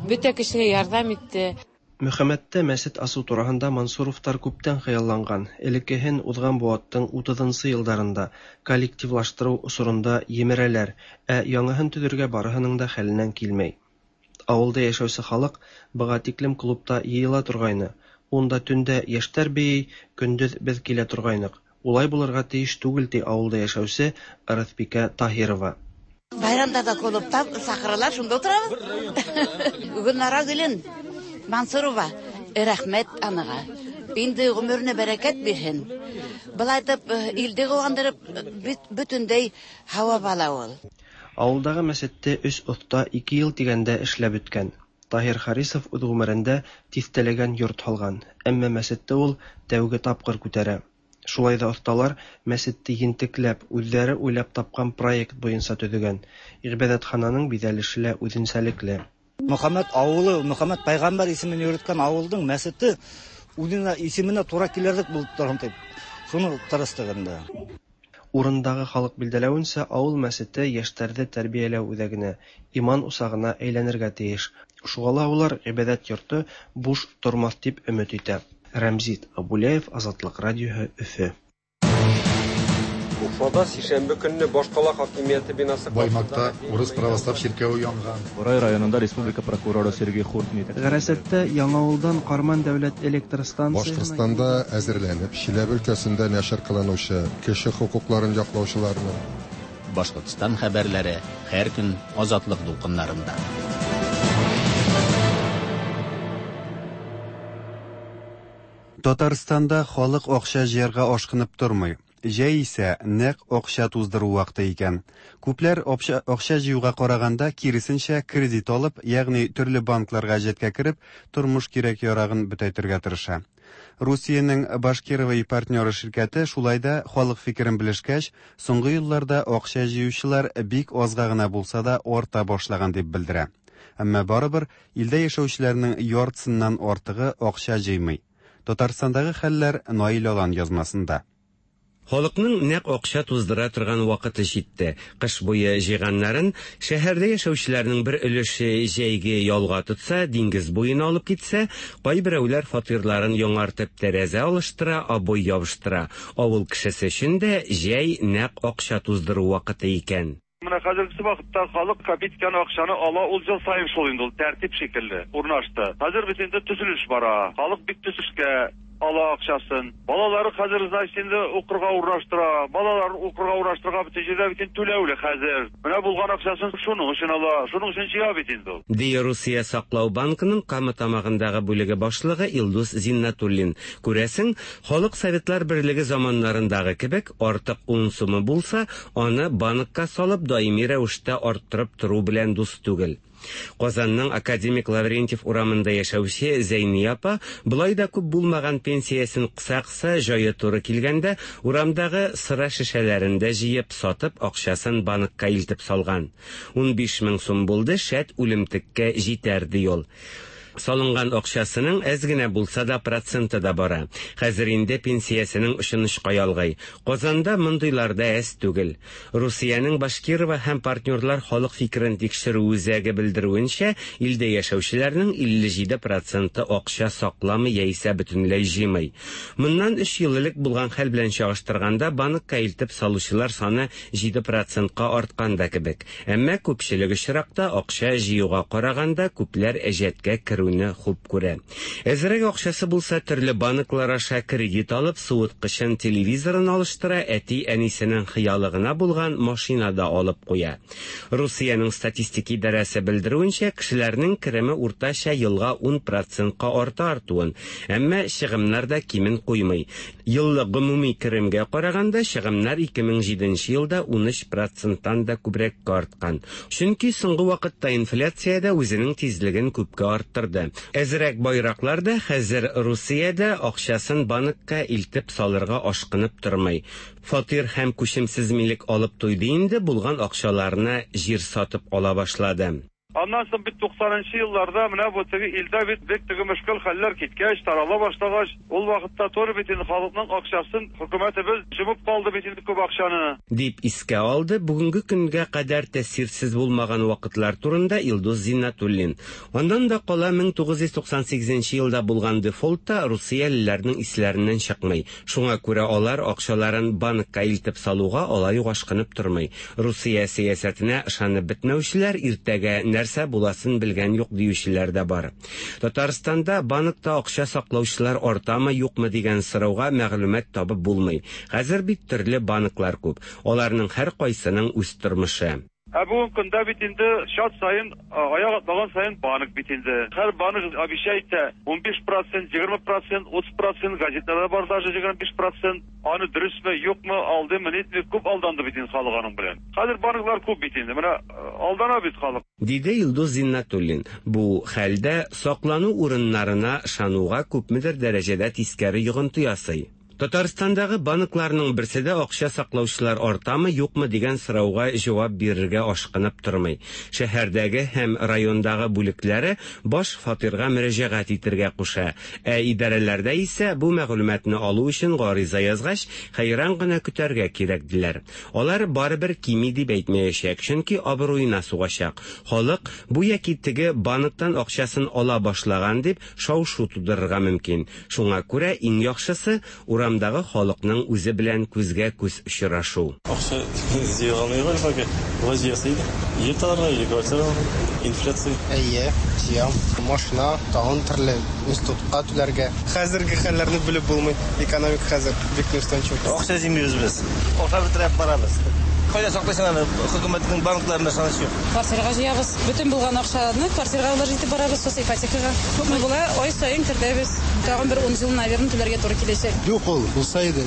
Бөтә кешегә ярҙам итте. Мөхәммәттә мәсет асыу тураһында Мансуровтар күптән хыялланған. Элеккеһен уҙған быуаттың утыҙынсы йылдарында коллективлаштырыу осоронда емерәләр, ә яңыһын төҙөргә барыһының да хәленән килмәй. Ауылда йәшәүсе халыҡ быға тиклем клубта йыйыла торғайны. Унда төндә йәштәр бейей, көндөҙ беҙ килә торғайныҡ. Улай булырға тейеш түгел, ти ауылда йәшәүсе Ырыҫбикә Таһирова. Байрамдарҙа клубта саҡыралар, шунда ултырабыҙ. Гөлнара Гөлен Мансурова, рәхмәт анаға. Инде ғүмеренә бәрәкәт бирһен. Болай итеп илде куандырып, бөтенләй һавап ала ул. Авылдагы мәчетте өч оста ике ел дигәндә эшләп беткән. Таһир Харисов үз гомерендә тиҫтәләгән йорт һалган, әмма мәчетте ул тәүге тапкыр күтәрә. Шулай да осталар мәчетте ентекләп, үзләре уйлап тапкан проект буенча төзегән. Гыйбадәтхананың бизәлеше лә үзенчәлекле. Мөхәммәт авылы, Мөхәммәт пәйгамбәр исемен йөрткән авылдың мәчете үзенә исеменә тура килерлек булып торган дип, шуны тырыштык инде. Урындагы халык билдәләвенчә, авыл мәчете яшьләрне тәрбияләү үзәгенә, иман усагына әйләнергә тиеш. Шуңа ла улар гыйбадәт йорты буш тормас дип өмет итә. Рәмзит Абуляев, Азатлык радиоһы, Өфө. Уфада сишәмбе көнне башкала хакимияте бинасы Баймакта урыс православ чиркәве янган. Бурай районында республика прокуроры Сергей Хуртни. Гарасәттә Яңавылдан Карман дәүләт электр станциясенә Башкортстанда әзерләнеп, Чиләбе өлкәсендә нәшер кылынучы кеше хокукларын яклаучыларны Башкортстан хәбәрләре һәр көн Азатлык дулкыннарында. Татарстанда халык акча җыярга ашкынып тормый. Җәй исә нәкъ акча туздыру вакыты икән. Күпләр акча, акча җыюга караганда киресенчә кредит алып, ягъни төрле банкларга әҗәткә кереп, тормыш кирәк-ярагын бөтәйтергә тырыша. Русиянең Башкирова и партнеры ширкәте шулай да халык фикерен белешкәч, соңгы елларда акча җыючылар бик азга гына булса да арта башлаган дип белдерә. Әмма барыбер илдә яшәүчеләрнең яртысыннан артыгы акча җыймый. Татарстандагы хәлләр Наил Алан язмасында. Халыкның нәкъ акча туздыра торган вакыты җитте. Кыш буе җыйганнарын шәһәрдә яшәүчеләрнең бер өлеше җәйге ялга тотса, диңгез буена алып китсә, кайберәүләр фатирларын яңартып тәрәзә алыштыра, обой ябыштыра. Авыл кешесе өчен дә җәй нәкъ акча туздыру вакыты икән. Менә хәзерге вакытта халык капиткан акчаны ала, ул ел саен шул инде ул тәртип шикелле урнашты. Хәзер бит инде төзелеш бара. Халык бик төзелешкә ала акчасын. Балалары хәзер значит инде укырга урнаштыра. Балалар укырга урнаштырга бит җирдә бит түләүле хәзер. Менә булган акчасын шуның өчен ала, шуның өчен җыя бит инде ул. Ди Русия саклау банкының Кама Тамагындагы бүлеге башлыгы Илдус Зиннатуллин. Күрәсең, халык Советлар Берлеге заманнарындагы кебек артык ун сумы булса, аны банкка салып даими рәвештә арттырып тору белән дус түгел. Казанның Академик Лаврентьев урамында яшәүче Зәйния апа болай да күп булмаган пенсиясен кыса-кыса җае туры килгәндә урамдагы сыра шешәләрен дә җыеп сатып акчасын банкка илтеп салган. ун биш мең сум булды, шәт үлемтеккә җитәр ди ул. Салынган акчасының әз генә булса да проценты да бара. Хәзер инде пенсиясенең очын очка ялгый. Казанда мондыйлар да әз түгел. Русиянең Башкирова һәм партнерлар халык фикерен тикшерү үзәге белдерүенчә, илдә яшәүчеләрнең илле җиде проценты акча сакламый яисә бөтенләй җыймый. Моннан өч ел элек булган хәл белән чагыштырганда банкка илтеп салучылар саны җиде процентка арткан да кебек. Әмма күпчелек очракта акча җыюга караганда күпләр әҗәткә керү хуп күрә. Әзрәк акчасы булса төрле банклар аша кредит алып, суыткычын, телевизорын алыштыра, әти-әнисенең хыялыгына булган машина да алып куя. Русиянең статистик идарәсе белдерүенчә, кешеләрнең кереме уртача елга ун процентка арта артуын, әмма чыгымнар да кимен куймый. Еллык гомуми керемгә караганда чыгымнар ике мең җиденче елда ун өч проценттан да күбрәккә арткан. Чөнки соңгы вакытта инфляция дә үзенең тизлеген күпкә арттырды. Әзрәк байраклар да хәзер Русиядә акчасын банкка илтеп салырга ашкынып тормый. Фатир һәм күчемсез милек алып туйды инде, булган акчаларына җир сатып ала башлады. Аннан соң бит туксанынчы елларда менә бу теге илдә бит бик теге мөшкел хәлләр киткәч, тарала башлагач, ул вакытта туры бит инде халыкның акчасын хөкүмәтебез җымып калды бит инде күп акчаны. Дип искә алды бүгенге көнгә кадәр тәэсирсез булмаган вакытлар турында Илдус Зиннатуллин. Аннан да кала мең тугыз йөз туксан сигезенче елда булган дефолтта русиялеләрнең исләреннән чыкмый. Шуңа күрә алар акчаларын банкка илтеп салуга алай ук ашкынып тормый. Русия сәясәтенә ышанып бетмәүчеләр иртәгә нәрсә буласын белгән юк диючеләр дә бар. Татарстанда банкта акча саклаучылар артамы юкмы дигән сорауга мәгълүмат табып булмый. Хәзер бит төрле банклар күп. Аларның һәр кайсының үз тормышы. Ә бүген көндә бит инде чат саен, аяк атлаган саен банк бит инде. Һәр банк обещает итә унбиш процент, егерме процент, утыз процент, газетларда бар даже егерме биш процент. Аны дөресме, юкмы, алдымы, нитме, күп алданды бит инде халык аның белән. Хәзер банклар күп бит инде. Менә алдана бит халык. Диде Илдус Зиннатуллин. Бу хәлдә саклану урыннарына ышануга күпмедер дәрәҗәдә тискәре йогынты ясый. Татарстандагы банкларның берсе дә акча саклаучылар артамы, юкмы дигән сорауга җавап бирергә ашкынып тормый. Шәһәрдәге һәм райондагы бүлекләре баш фатирга мөрәҗәгать итергә куша. Ә идарәләрдә исә бу мәгълүматны алу өчен гариза язгач, хәйран гына көтәргә кирәк диләр. Алар барыбер кими дип әйтмәячәк, чөнки абруена сугачак. Халык бу яки теге банктан акчасын ала башлаган дип шау-шу тудырырга мөмкин. Шуңа күрә иң яхшысы урамдагы халыкның үзе белән күзгә күз очрашу. Акча җыйган пока вазиясы иде. Ел аларга или квартира инфляция. Әйе, җыям. Машина, тагын төрле институтка түләргә. Хәзерге хәлләрне белеп булмый. Экономика хәзер бик неустойчив. Акча җыймыйбыз без. Акча бетереп барабыз. Кайда саклыйсың аны? Хөкүмәтнең банкларында ышаныч юк. Квартирага җыябыз. Бөтен булган акчаны квартирага вложить итеп барабыз, сосын ипотекага. Күпме була, ай саен кертәбез. Тагын бер ун ел, наверное, түләргә туры киләчәк. Юк ул, булса иде.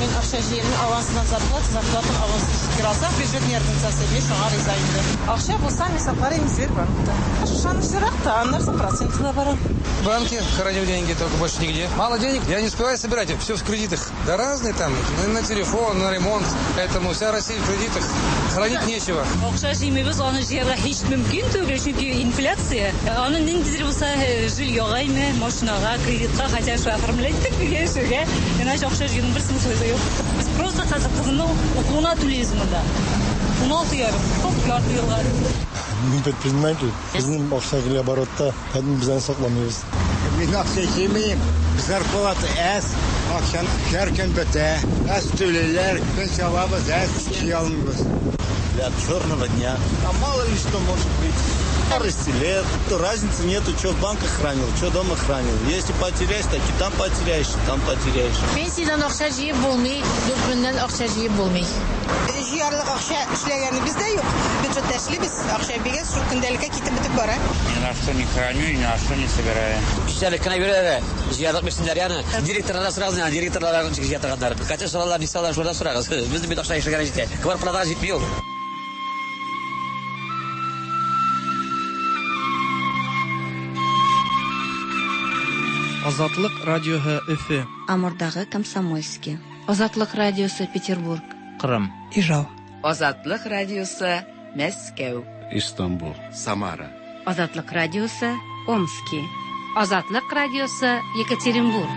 Мин акча җыймыйм, авансынан зарплата, зарплатам авансыз кире алсак, бюджет ярдәмчесе мин шуңа риза инде. Акча булса, мин саклар идем Сбербанкта. Ышанычлырак та, аннан соң проценты да бар. В банке храню деньги, только больше нигде. Мало денег, я не успеваю собирать, все в кредитах. Да разные там, на телефон, на ремонт. Поэтому вся Россия в кредитах, хранить нечего. Акча җыймыйбыз, аны җыярга һич мөмкин түгел, чөнки инфляция. Аны ниндидер булса жильега име, машинага, кредитка, хотя шулай оформлять итеп яшәргә. Иначе акча җыюның бер смыслы юк. Без просто хәзер кызымның укуына түлибез монда. Уналты ярым, күп ярты елга. Мин предприниматель. Безнең акча килә оборотта, поэтому без аны сакламыйбыз. Мин акча җыймыйм. Зарплата әз, акчаны һәр көн бетә. Әз түлиләр, пенсия алабыз, әз җыя алмыйбыз. Для черного дня. А мало ли что может быть. Старости лет, то разницы нету, что в банках хранил, что дома хранил. Если потеряешь, так и там потеряешь, и там потеряешь. Пенсиядан акча җыеп булмый, дүрт меңнән акча җыеп булмый. Җыярлык акча эшләгәне бездә юк. Бюджетта эшлибез, акча бигез, шул көндәлеккә китеп бетеп бара. Ни на что не храню, ни на что не собираю. Кешеләр кенә бирәләр, җыярлык бирсеннәр яны. Директорлар сорагыз, директорлар ничек җыя торганнар. Качан соралар, ни соралар, шулардан сорагыз. Безнең бит акча эшләгәне җитә. Квартплатага җитми ул. Азатлык радиоһы Өфе. Амурдагы Комсомольский. Азатлык радиосы Петербург. Кырым. Ижау. Азатлык радиосы Мәскәү. Истанбул. Самара. Азатлык радиосы Омски. Азатлык радиосы Екатеринбург.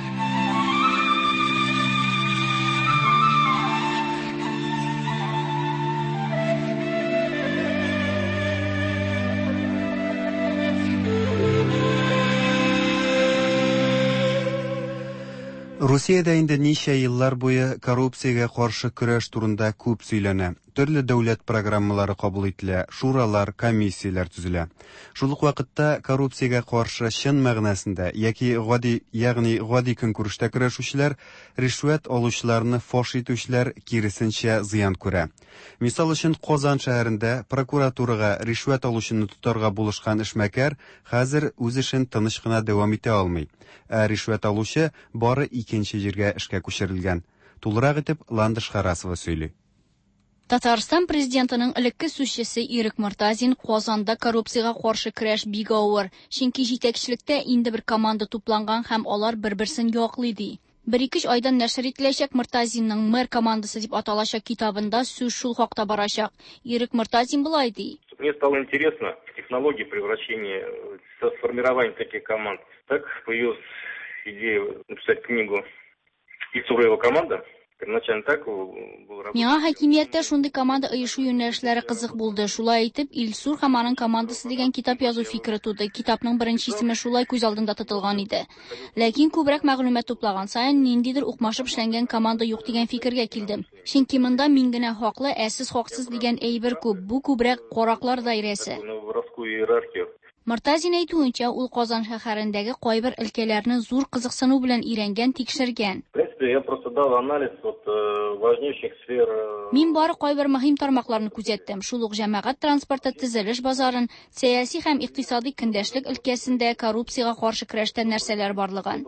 Русиядә инде ничә еллар буе коррупциягә каршы көрәш турында күп сөйләнә. Төрле дәүләт программалары кабул ителә, шуралар, комиссияләр төзелә. Шул ук вакытта коррупциягә каршы чын мәгънәсендә яки гади, ягъни гади көнкүрештә көрәшүчеләр, ришвәт алучыларны фаш итүчеләр киресенчә зыян күрә. Мисал өчен, Казан шәһәрендә прокуратурага ришвәт алучыны тотарга булышкан эшмәкәр хәзер үз эшен тыныч кына дәвам итә алмый. Ә ришвәт алучы бары икенче җиргә эшкә күчерелгән. Тулырак итеп Ландыш Харасова сөйли. Татарстан президентының элекке сүзчесе Ирек Мортазин Казанда коррупциягә каршы көрәш бик авыр, чөнки җитәкчелектә инде бер команда тупланган һәм алар бер-берсен яклый ди. Бер-ике айдан нәшер ителәчәк Мортазинның мэр командасы дип аталачак китабында сүз шул хакта барачак. Ирек Мортазин болай ди. Мне стало интересно технологии превращения, формирования таких команд. Так появилась идея написать книгу «Ильсур и его команда». Первоначально так был работа. Миңа хакимияттә шундый команда оешу юнәлешләре кызык булды. Шулай итеп, Илсур һәм аның командасы дигән китап язу фикере туды. Китапның беренче исеме шулай күз алдында тотылган иде. Ләкин күбрәк мәгълүмат туплаган саен ниндидер укмашып эшләнгән команда юк дигән фикергә килдем. Чөнки монда мин генә хаклы, ә сез хаксыз дигән әйбер күп. Бу күбрәк караклар даирәсе. Мортазин әйтүенчә, ул Казан шәһәрендәге кайбер өлкәләрне зур кызыксыну белән өйрәнгән, тикшергән. В принципе, Я просто дал анализ вот важнейших сфер. Мин бары кайбер мөһим тармакларны күзәттем. Шул ук җәмәгать транспорты, төзелеш базарын, сәяси һәм икътисади көндәшлек өлкәсендә коррупциягә каршы көрәштә нәрсәләр барлыгын.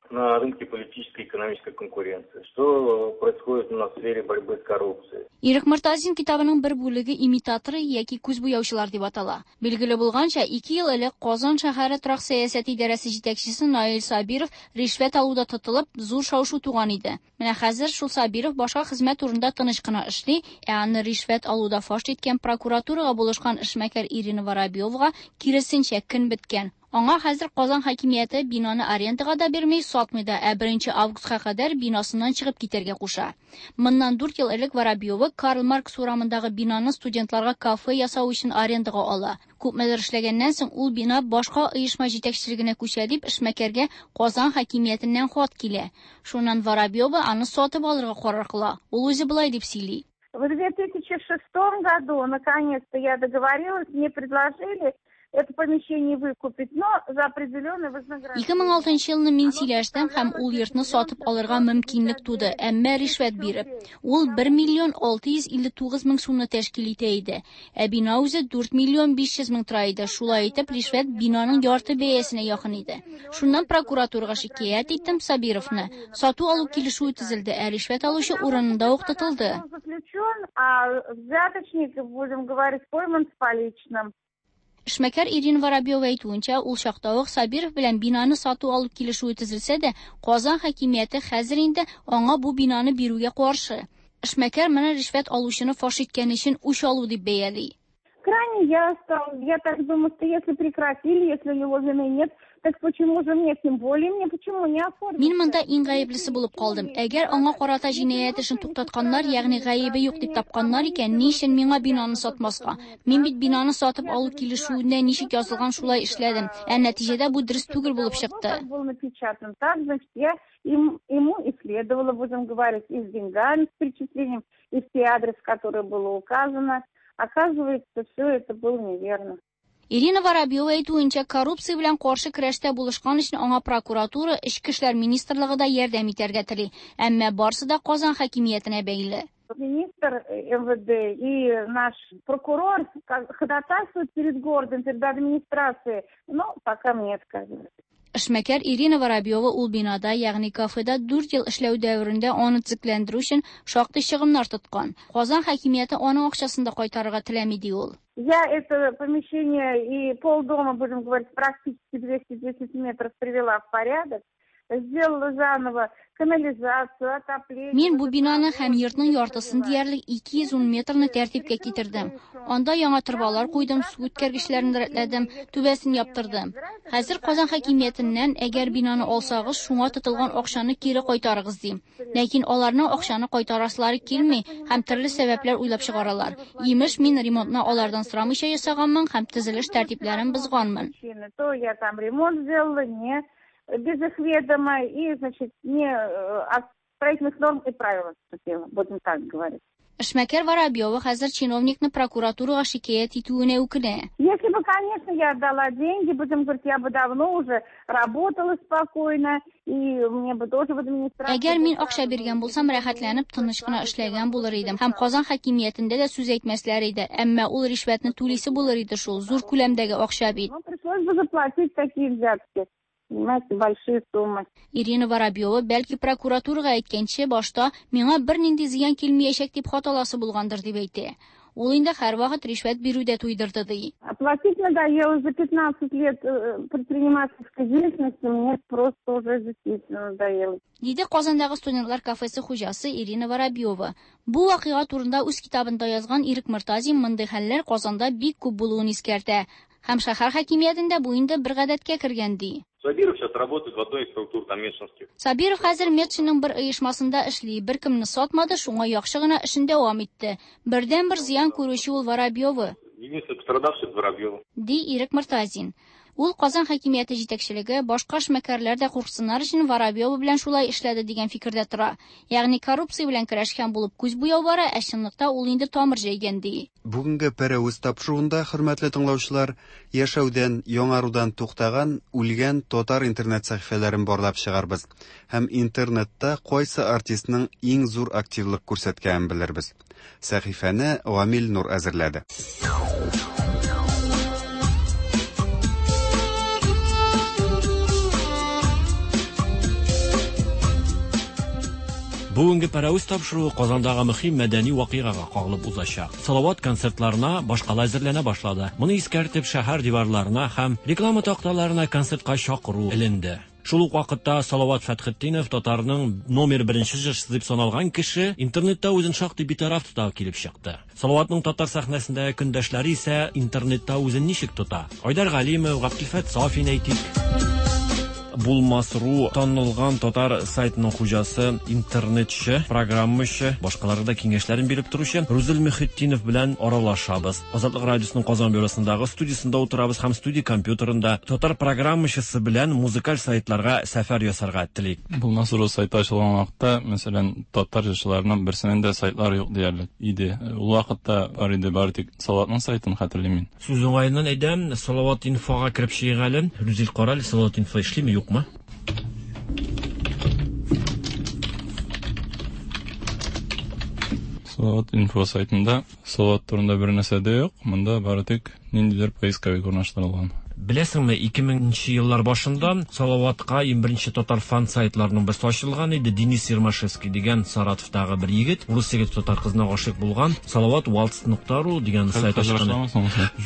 На рынке политической и экономической конкуренции. Что происходит у нас в сфере борьбы с коррупцией? Ирек Мортазин китабының бер бүлеге имитаторы яки күз буяучылар дип атала. Билгеле булганча, ике ел элек Казан шәһәре торак сәясәте идарәсе җитәкчесе Наил Сабиров ришвәт алуда тотылып, зур шау-шу туган иде. Менә хәзер шул Сабиров башка хезмәт урында тыныч кына эшли, ә аны ришвәт алуда фаш иткән прокуратурага булышкан эшмәкәр Ирина Воробьевага киресенчә көн беткән. Аңа хәзер Казан хакимияте бинаны арендага да бирми, сатмый да, ә беренче августка кадәр бинасыннан чыгып китәргә куша. Моннан дүрт ел элек Воробьева Карл Маркс урамындагы бинаны студентларга кафе ясау өчен арендага ала. Күпмедер эшләгәннән соң ул бина башка оешма җитәкчелегенә күчә дип эшмәкәргә Казан хакимиятеннән хат килә. Шуннан Воробьева аны сатып алырга карар кыла. Ул үзе болай дип сөйли. В две тысячи шестом году наконец-то я договорилась, мне предложили это помещение выкупить, но за определенное вознаграждение. ике мең алтынчы елны мин сөйләштем һәм ул йортны сатып алырга мөмкинлек туды, әмма ришвәт биреп. Ул бер миллион алты йөз илле тугыз мең сумны тәшкил итә иде. Ә бина үзе дүрт миллион биш йөз мең тора иде. Шулай итеп, ришвәт бинаның ярты бәясенә якын иде. Шуннан прокуратурага шикаять иттем Сабировны. Сату алу килешүе төзелде, ә ришвәт алучы урынында ук тотылды. Заключен, а взяточник, будем говорить, пойман с поличным. Эшмәкәр Ирина Воробьева әйтүенчә, ул чакта ук Сабиров белән бинаны сату алу килешүе төзелсә дә, Казан хакимияте хәзер инде аңа бу бинаны бирүгә каршы. Эшмәкәр моны ришвәт алучыны фаш иткән өчен үч алу дип бәяли. Крайне я стал, я так думаю, что если прекратили, если у него вины нет, так почему же мне, тем более мне почему не оформить? Мин монда иң гаеплесе булып калдым. Әгәр аңа карата җинаять эшен туктатканнар, ягъни гаебе юк дип тапканнар икән, ни өчен миңа бинаны сатмаска? Мин бит бинаны сатып алу килешүендә ничек язылган шулай эшләдем. Ә нәтиҗәдә бу дөрес түгел булып чыкты. Был напечатан так, значит, я им, ему и следовало, будем говорить, и с деньгами, с перечислением, и все адрес, который было указано. Оказывается, все это было неверно. Ирина Воробьева әйтүенчә, коррупция белән каршы көрәштә булышкан өчен аңа прокуратура, Эчке эшләр министрлыгы да ярдәм итәргә тели. Әмма барсы да Казан хакимиятенә бәйле. Министр эм вэ дэ и наш прокурор ходатайствуют перед городом, перед администрацией, но пока мне отказывают. Эшмәкәр Ирина Воробьева ул бинада, ягъни кафеда дүрт ел эшләү дәверендә аны төзекләндерү өчен шактый чыгымнар тоткан. Казан хакимияте аның акчасын да кайтарырга теләми, ди ул. Я это помещение и полдома, будем говорить, практически двести десять метров привела в порядок. Сделала заново канализацию, отопление. Мин бу бинаны һәм йортның яртысын диярлек ике йөз ун метрны тәртипкә китердем. Анда яңа торбалар куйдым, су үткәргечләрен рәтләдем, түбәсен яптырдым. Хәзер Казан хакимиятеннән, әгәр бинаны алсагыз, шуңа тотылган акчаны кире кайтарыгыз дим. Ләкин аларның акчаны кайтарасылары килми һәм төрле сәбәпләр уйлап чыгаралар. Имеш, мин ремонтны алардан сорамыйча ясаганмын һәм төзелеш тәртипләрен бозганмын. То я там ремонт сделала, не без их ведома и, значит, не от строительных норм и правил отступила, будем так говорить. Эшмәкәр Воробьева хәзер чиновникны прокуратурага шикаять итүенә үкенә. Если бы, конечно, я отдала деньги, будем говорить, я бы давно уже работала спокойно, и мне бы тоже в администрации... Әгәр мин акча биргән булсам, рәхәтләнеп, тыныч кына эшләгән булыр идем. Һәм Казан хакимиятендә дә сүз әйтмәсләр иде. Әмма ул ришвәтне түлисе булыр иде шул, зур күләмдәге акча бит. Ну, пришлось бы заплатить такие взятки. Понимаете, большие суммы. Ирина Воробьева бәлки прокуратурага әйткәнче башта миңа бернинди зыян килмәячәк дип хат аласы булгандыр дип әйтә. Ул инде һәрвакыт ришвәт бирүдә туйдырды ди. Оплатить надоело за пятнадцать лет предпринимательской деятельности, мне просто уже действительно надоело. Диде Казандагы студентлар кафесы хуҗасы Ирина Воробьева. Бу вакыйга турында үз китабында язган Ирек Мортазин мондый хәлләр Казанда бик күп булуын искәртә. Һәм шәһәр хакимиятендә бу инде бер гадәткә кергән ди. Сабиров сейчас работает в одной из структур там Метшинских. Сабиров хәзер Метшинның бер оешмасында эшли, бер кемне сатмады, шуңа яхшы гына эшен дәвам итте. Бердән бер зыян күрүче ул Воробьева. Единственный пострадавший Воробьева. Ди Ирек Мортазин. Ул Казан хакимияте җитәкчелеге, башка эшмәкәрләр дә курксыннар өчен Воробьева белән шулай эшләде дигән фикердә тора. Ягъни коррупция белән көрәшкән булып күз буяу бара, ә чынлыкта ул инде тамыр җәйгән ди. Бүгенге Пәрәвез тапшыруында, хөрмәтле тыңлаучылар, яшәүдән, яңарудан туктаган, үлгән татар интернет сәхифәләрен барлап чыгарбыз һәм интернетта кайсы артистның иң зур активлык күрсәткәнен белербез. Сәхифәне Гамил Нур әзерләде. Бүгенге Пәрәвез тапшыруы Казандагы мөһим мәдәни вакыйгага кагылып узачак. Салават концертларына башкала әзерләнә башлады. Моны искәртеп шәһәр диварларына һәм реклама такталарына концертка чакыру эленде. Шул ук вакытта Салават Фәтхетдинов татарның номер беренче җырчысы дип саналган кеше интернетта үзен шактый битараф тота килеп чыкты. Салаватның татар сәхнәсендәге көндәшләре исә интернетта үзен ничек тота? Айдар Галимов, Габделфәт Сафин әйтик. Булмас.ру танылган татар сайтының хуҗасы, интернетчы, программачы, башкаларга да киңәшләрен биреп торучы Рузил Мөхетдинов белән аралашабыз. Азатлык радиосының Казан бюросындагы студиясендә утырабыз һәм студия компьютерында татар программачысы белән музыкаль сайтларга сәфәр ясарга телик. Булмас.ру сайты ачылган вакытта, мәсәлән, татар җырчыларының берсенең дә сайтлары юк диярлек иде. Ул вакытта бар иде, бары тик Салаватның сайтын хәтерлим мин. Сүз уңаеннан әйтәм, Салават инфога кереп чыгыйк әле. Рузил, кара әле, Салават инфо эшлиме, юкмы? Салават инфо сайтында Салават турында бер нәрсә дә юк. Монда бары тик ниндидер поисковик урнаштырылган. Беләсеңме, ике меңенче еллар башында Салаватка иң беренче татар фан сайтларының берсе ачылган иде. Денис Ермашевский дигән Саратовтагы бер егет, урыс егет татар кызына гашыйк булган, Салават вальс нокта ру дигән сайт ачкан.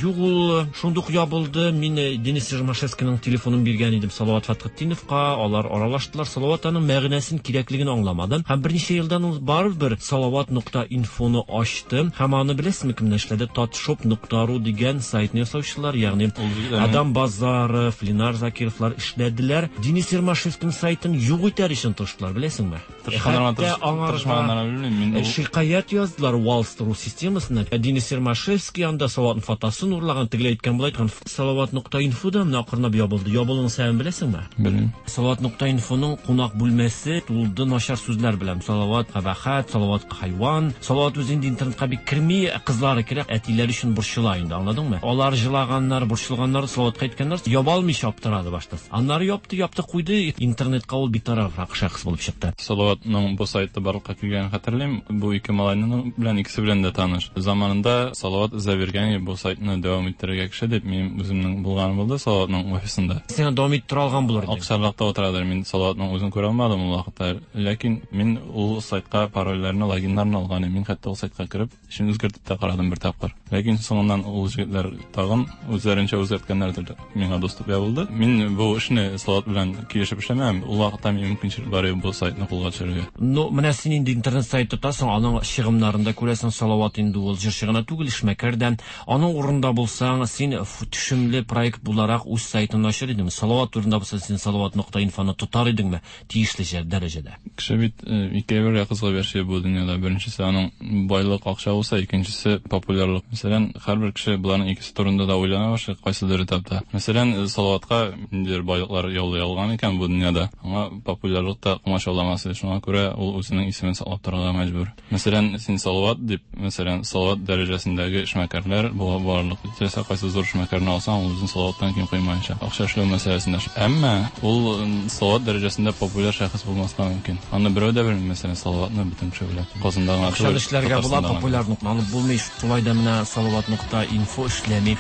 Юк, ул шундук ябылды. Мин Денис Ермашевскийның телефонын биргән идем Салават Фәтхетдиновка, алар аралаштылар. Салават аның мәгънәсен, кирәклеген аңламады. Һәм берничә елдан ул барыбер Салават нокта инфоны ачты. Һәм аны беләсезме кемнәр эшләде? Татшоп нокта ру дигән сайтны ясаучылар, ягъни Адам Базаров, Ленар Закировлар эшләделәр. Денис Ермашевскийның сайтын юк итәр өчен тырыштылар, беләсеңме? Хәтта аңарга шикаять яздылар Валстру системасына. Денис Ермашевский анда Салаватның фотосын урлаган, тегеләй әйткән, болай әйткән. Салават нокта инфо да менә акрынлап ябылды. Ябылуның сәбәбен беләсеңме? Белмим. Салават нокта инфоның кунак бүлмәсе тулды начар сүзләр белән. Салават кабахат, Салават хайван. Салават үзе инде интернетка бик керми, кызлары керә, әтиләре өчен борчыла инде, аңладыңмы? Алар җылаганнар, борчылганнар, Салаватка әйткәннәр, яба алмыйча аптырады башта. Аннары япты, япты, куйды. Интернетка ул битарафрак шәхес булып чыкты. Салаватның бу сайты барлыкка килгәнен хәтерлим. Бу ике малайның белән икесе белән дә таныш. Заманында Салават эзләп бу сайтны дәвам иттерергә кеше дип минем үземнең булганым булды Салаватның офисында. Син дәвам иттерә алган булыр идең. Акчарлакта утырадыр. Мин Салаватның үзен күрә алмадым ул вакытта. Ләкин мин ул сайтка парольләрне, логиннарны алган идем. Мин хәтта ул сайтка кереп, эшен үзгәртеп тә карадым бер тапкыр. Ләкин соңыннан ул егетләр тагын үзләренчә үзгәрткәннәрдер. Миңа доступ ябылды. Мин бу эшне Салават белән килешеп эшләмәм. Ул вакытта минем мөмкинчелек бар иде бу сайтны кулга төшерергә. Ну, менә син инде интернет сайт тотасың, аның чыгымнарын да күрәсең. Салават инде ул җырчы гына түгел, эшмәкәр дә. Аның урынында булсаң, син төшемле проект буларак үз сайтыңны ачыр идеңме? Салават урынында булса, син Салават нокта инфоны тотар идеңме тиешле дәрәҗәдә? Кеше бит ике әйбергә кызыгып яши бу дөньяда. Беренчесе аның байлык, акча булса, икенчесе популярлык. Мәсәлән, һәрбер кеше буларның икесе турында да уйлана башлый кайсыдыр этапта. Мәсәлән, Салаватка ниндидер байлыклар яулый алган икән бу дөньяда, аңа популярлык та комачауламас иде. Шуңа күрә ул үзенең исемен саклап торырга мәҗбүр. Мәсәлән, син Салават дип, мәсәлән, Салават дәрәҗәсендәге эшмәкәрләр була барлык. Теләсә кайсы зур эшмәкәрне алсаң, ул үзен Салаваттан ким куймаячак. Акча эшләү мәсьәләсендә. Әмма ул Салават дәрәҗәсендә популяр шәхес булмаска мөмкин. Аны берәү дә белми, мәсәлән, Салаватны бөтен кеше белә. Казанда гына акча эшләргә була, популярлыкны алып булмый. Шулай да менә Салават нокта инфо эшләми.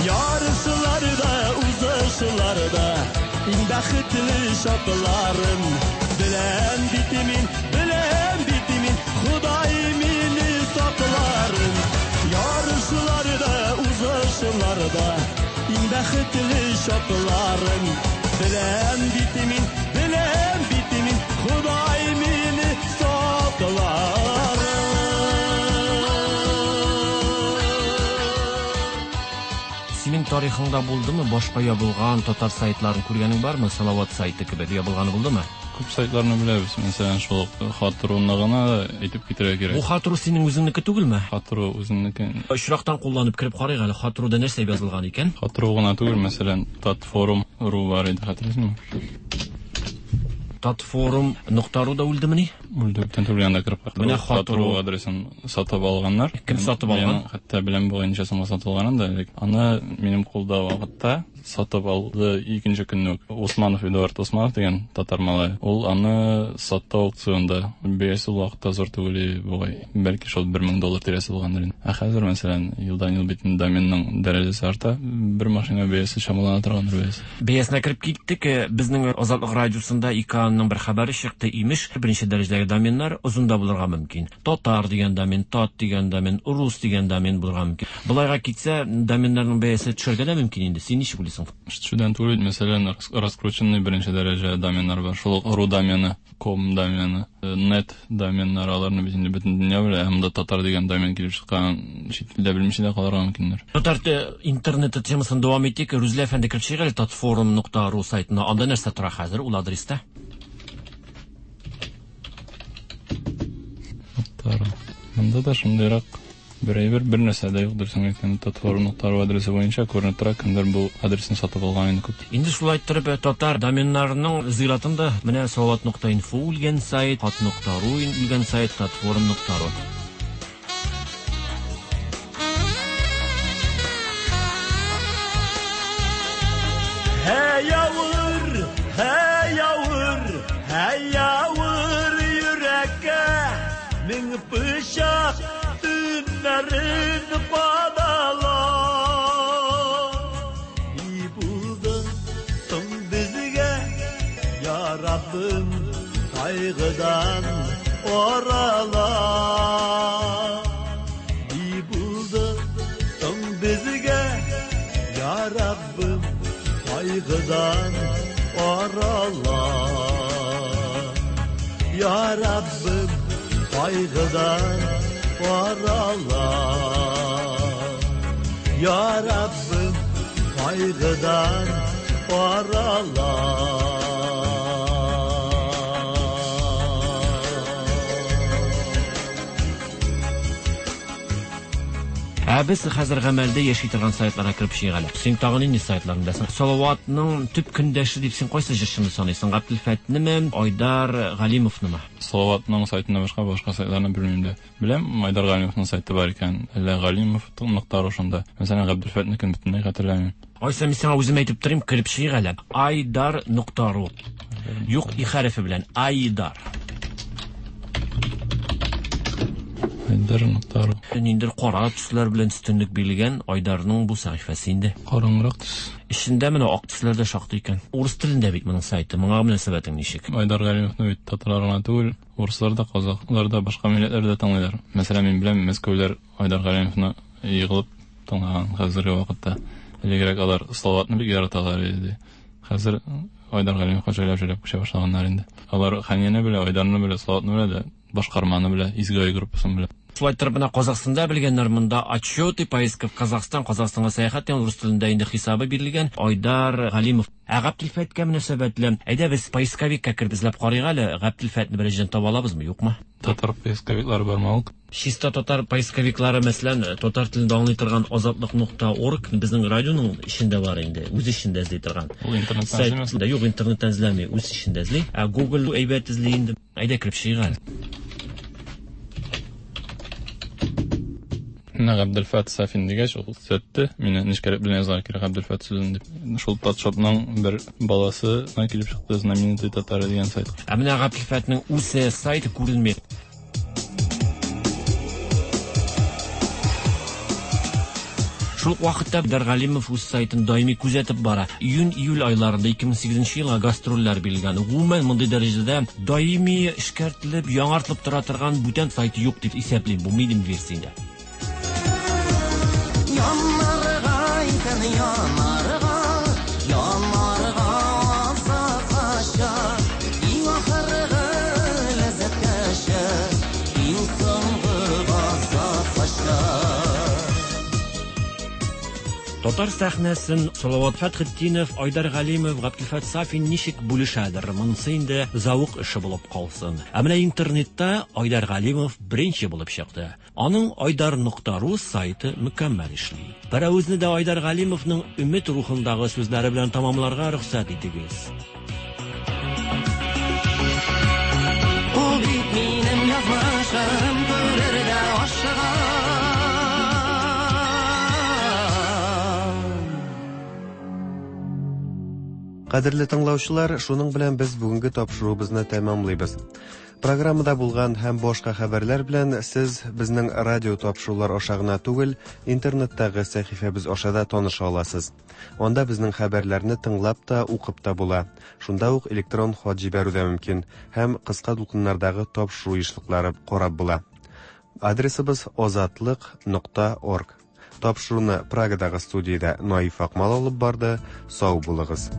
Yarışlarda, uzışlarda иң бәхетле чакларым. Беләм бит мин, беләм бит мин, Ходай мине сакларын. Ярышларда, узышларда иң бәхетле чакларым. Беләм бит мин, беләм бит мин, Ходай мине сакларын. Синең тарихыңда булдымы башка ябылган татар сайтларын күргәнең бармы? Салават сайты кебек ябылганы булдымы? Күп сайтларны беләбез. Мәсәлән, шул Хатруны гына әйтеп китерергә кирәк. Бу Хатру синең үзеңнеке түгелме? Хатру үземнеке. Очрактан кулланып кереп карыйк әле, Хатруда нәрсә язылган икән? Хатру гына түгел, мәсәлән, Татфорум ру бар иде, хәтерлисеңме? Татфорум нокта ру да үлдемени? Үлде, бүтән түгел, анда кереп карадым. Менә Хатру адресын сатып алганнар. Кем сатып алган? Хәтта беләм бугай ничә сумга сатылганын да, элек. Аны минем кулда вакытта сатып алды икенче көнне үк. Усманов Эдуард Усманов дигән татар малае. Ул аны сатты аукционда. Бәясе ул вакытта зур түгел бугай. Бәлки шул бер мең доллар тирәсе булгандыр инде. Ә хәзер, мәсәлән, елдан-ел бит доменның дәрәҗәсе арта. Бер машина бәясе чамалана торгандыр бәясе. Бәясенә кереп киттек. Безнең Азатлык радиосында ИКАНның бер хәбәре чыкты, имеш, беренче дәрәҗәдәге доменнар озында булырга мөмкин. Татар дигән домен, тат дигән домен, рус дигән домен булырга мөмкин. Болайга китсә, доменнарның бәясе төшәргә дә мөмкин инде. Син ничек уйлыйсың? Төшүдән түгел, мәсәлән, раскрученный беренче дәрәҗә доменнар бар. Шул ук ру домены, ком домены, нет доменнар, аларны бит инде бөтен дөнья белә. Ә монда татар дигән домен килеп чыккан, чит илдә белмичә дә калырга мөмкиннәр. Татар интернеты темасын дәвам итик. Рүзлә әфәнде кереп чыгыйк әле татфорум нокта ру сайтына. Анда нәрсә тора хәзер ул адреста? Монда да шундыйрак бер әйбер, бер нәрсә дә юк, дөресен әйткәндә, татфорум нокта ру адресы буенча күренеп тора, кемдер бу адресны сатып алган инде күп. Инде шулай иттереп, татар доменнарының зиратында менә салават нокта инфо үлгән сайт, хат нокта ру үлгән сайт, татфорум нокта ру. Һәй авыр, һәй авыр, һәй авыр йөрәккә мең пычак төннәрен кадала. Ни булды соң безгә, я Раббым, кайгыдан арала. Ни булды соң безгә, я Раббым, кайгыдан арала. Я Раббым, кайгыдан арала. Ya Rabbim, kaygıdan arala. Ә без хәзер гамәлдә яши торган сайтларга кереп чыгыйк әле. Син тагын нинди сайтларны беләсең? Салаватның төп көндәше дип син кайсы җырчыны саныйсың? Габделфәтнеме, Айдар Галимовнымы? Салаватның сайтыннан башка башка сайтларны белмим дә. Беләм, Айдар Галимовның сайты бар икән. Әллә Галимов нокта ру шунда. Мәсәлән, Габделфәтнекен бөтенләй хәтерләмим. Айса, мин сиңа үзем әйтеп торыйм, кереп чыгыйк әле. Айдар нокта ру. Юк, и хәрефе белән. Айдар. Айдар нокта ру. Ниндидер кара төсләр белән өстенлек бирелгән Айдарның бу сәхифәсе инде. Караңгырак төс. Эчендә менә ак төсләр дә шактый икән. Урыс телендә бит моның сайты. Моңа мөнәсәбәтең ничек? Айдар Галимовны бит татарлар гына түгел, урыслар да, казахлар да, башка милләтләр дә тыңлыйлар. Мәсәлән, мин беләм, Мәскәүләр Айдар Галимовны егылып тыңлаган хәзерге вакытта. Элегрәк алар Салаватны бик яраталар иде. Хәзер Айдар Галимовка җайлап-җайлап күчә башлаганнар инде. Алар Ханияне белә, Айдарны белә, Салаватны белә дә, башкарманы белә, Изге ай группасын белә. Шулай итеп, менә Казахстанда белгәннәр монда отчеты, поездка в Казахстан, Казахстанга сәяхәт дигән урыс телендә инде хисабы бирелгән Айдар Галимов. Ә Габделфәткә мөнәсәбәтле, әйдә без поисковикка кереп эзләп карыйк әле, Габделфәтне беренчедән таба алабызмы, юкмы? Татар поисковиклары бармы ул? Чиста татар поисковиклары, мәсәлән, татар телендә аңлый торган азатлык нокта орг безнең радионың эчендә бар инде, үз эчендә эзли торган. Ул интернеттан эзләмәсме? Юк, интернеттан эзләми, үз эчендә эзли. Ә Google әйбәт эзли инде. Әйдә кереп чыгыйк әле. Менә Габделфәт Сафин дигәч, ул төзәтте. Мине нечкәрәк белән язарга кирәк Габделфәт сүзен дип. Шул Татшопның бер баласы килеп чыкты, знаменитый татары дигән сайт. Ә менә Габделфәтнең үз сайты күренми. Шул ук вакытта Айдар Галимов үз сайтын даими күзәтеп бара. Июнь-июль айларында ике мең сигезенче елга гастрольләр бирелгән. Гомумән, мондый дәрәҗәдә даими эшкәртелеп, яңартылып тора торган бүтән сайты юк дип исәплим. Бу минем версиямдә. Yanarga икән, yanarga, yanarga azapkaşa, иң ахыргы ләззәткәшә, иң соңгы газапкаша. Татар сәхнәсен Салават Фәтхетдинов, Айдар Галимов, Габделфәт Сафин ничек бүлешәдер? Монысы инде зәвык эше булып калсын. Ә менә интернетта Айдар Галимов беренче булып чыкты. Аның айдар нокта ру сайты мөкәммәл эшли. Пәрәвезне дә Айдар Галимовның өмет рухындагы сүзләре белән тамамларга рөхсәт итегез. Ул бит минем язмышым, күрергә ашыгам. Кадерле тыңлаучылар, шуның белән без бүгенге тапшыруыбызны тәмамлыйбыз. Программада булган һәм башка хәбәрләр белән сез безнең радио тапшырулар аша гына түгел, интернеттагы сәхифәбез аша да таныша аласыз. Анда безнең хәбәрләрне тыңлап та, укып та була. Шунда ук электрон хат җибәрү дә мөмкин һәм кыска дулкыннардагы тапшыру ешлыклары карап була. Адресыбыз озатлык нокта орг. Тапшыруны Прагадагы студиядә Наиф Акмал алып барды. Сау булыгыз.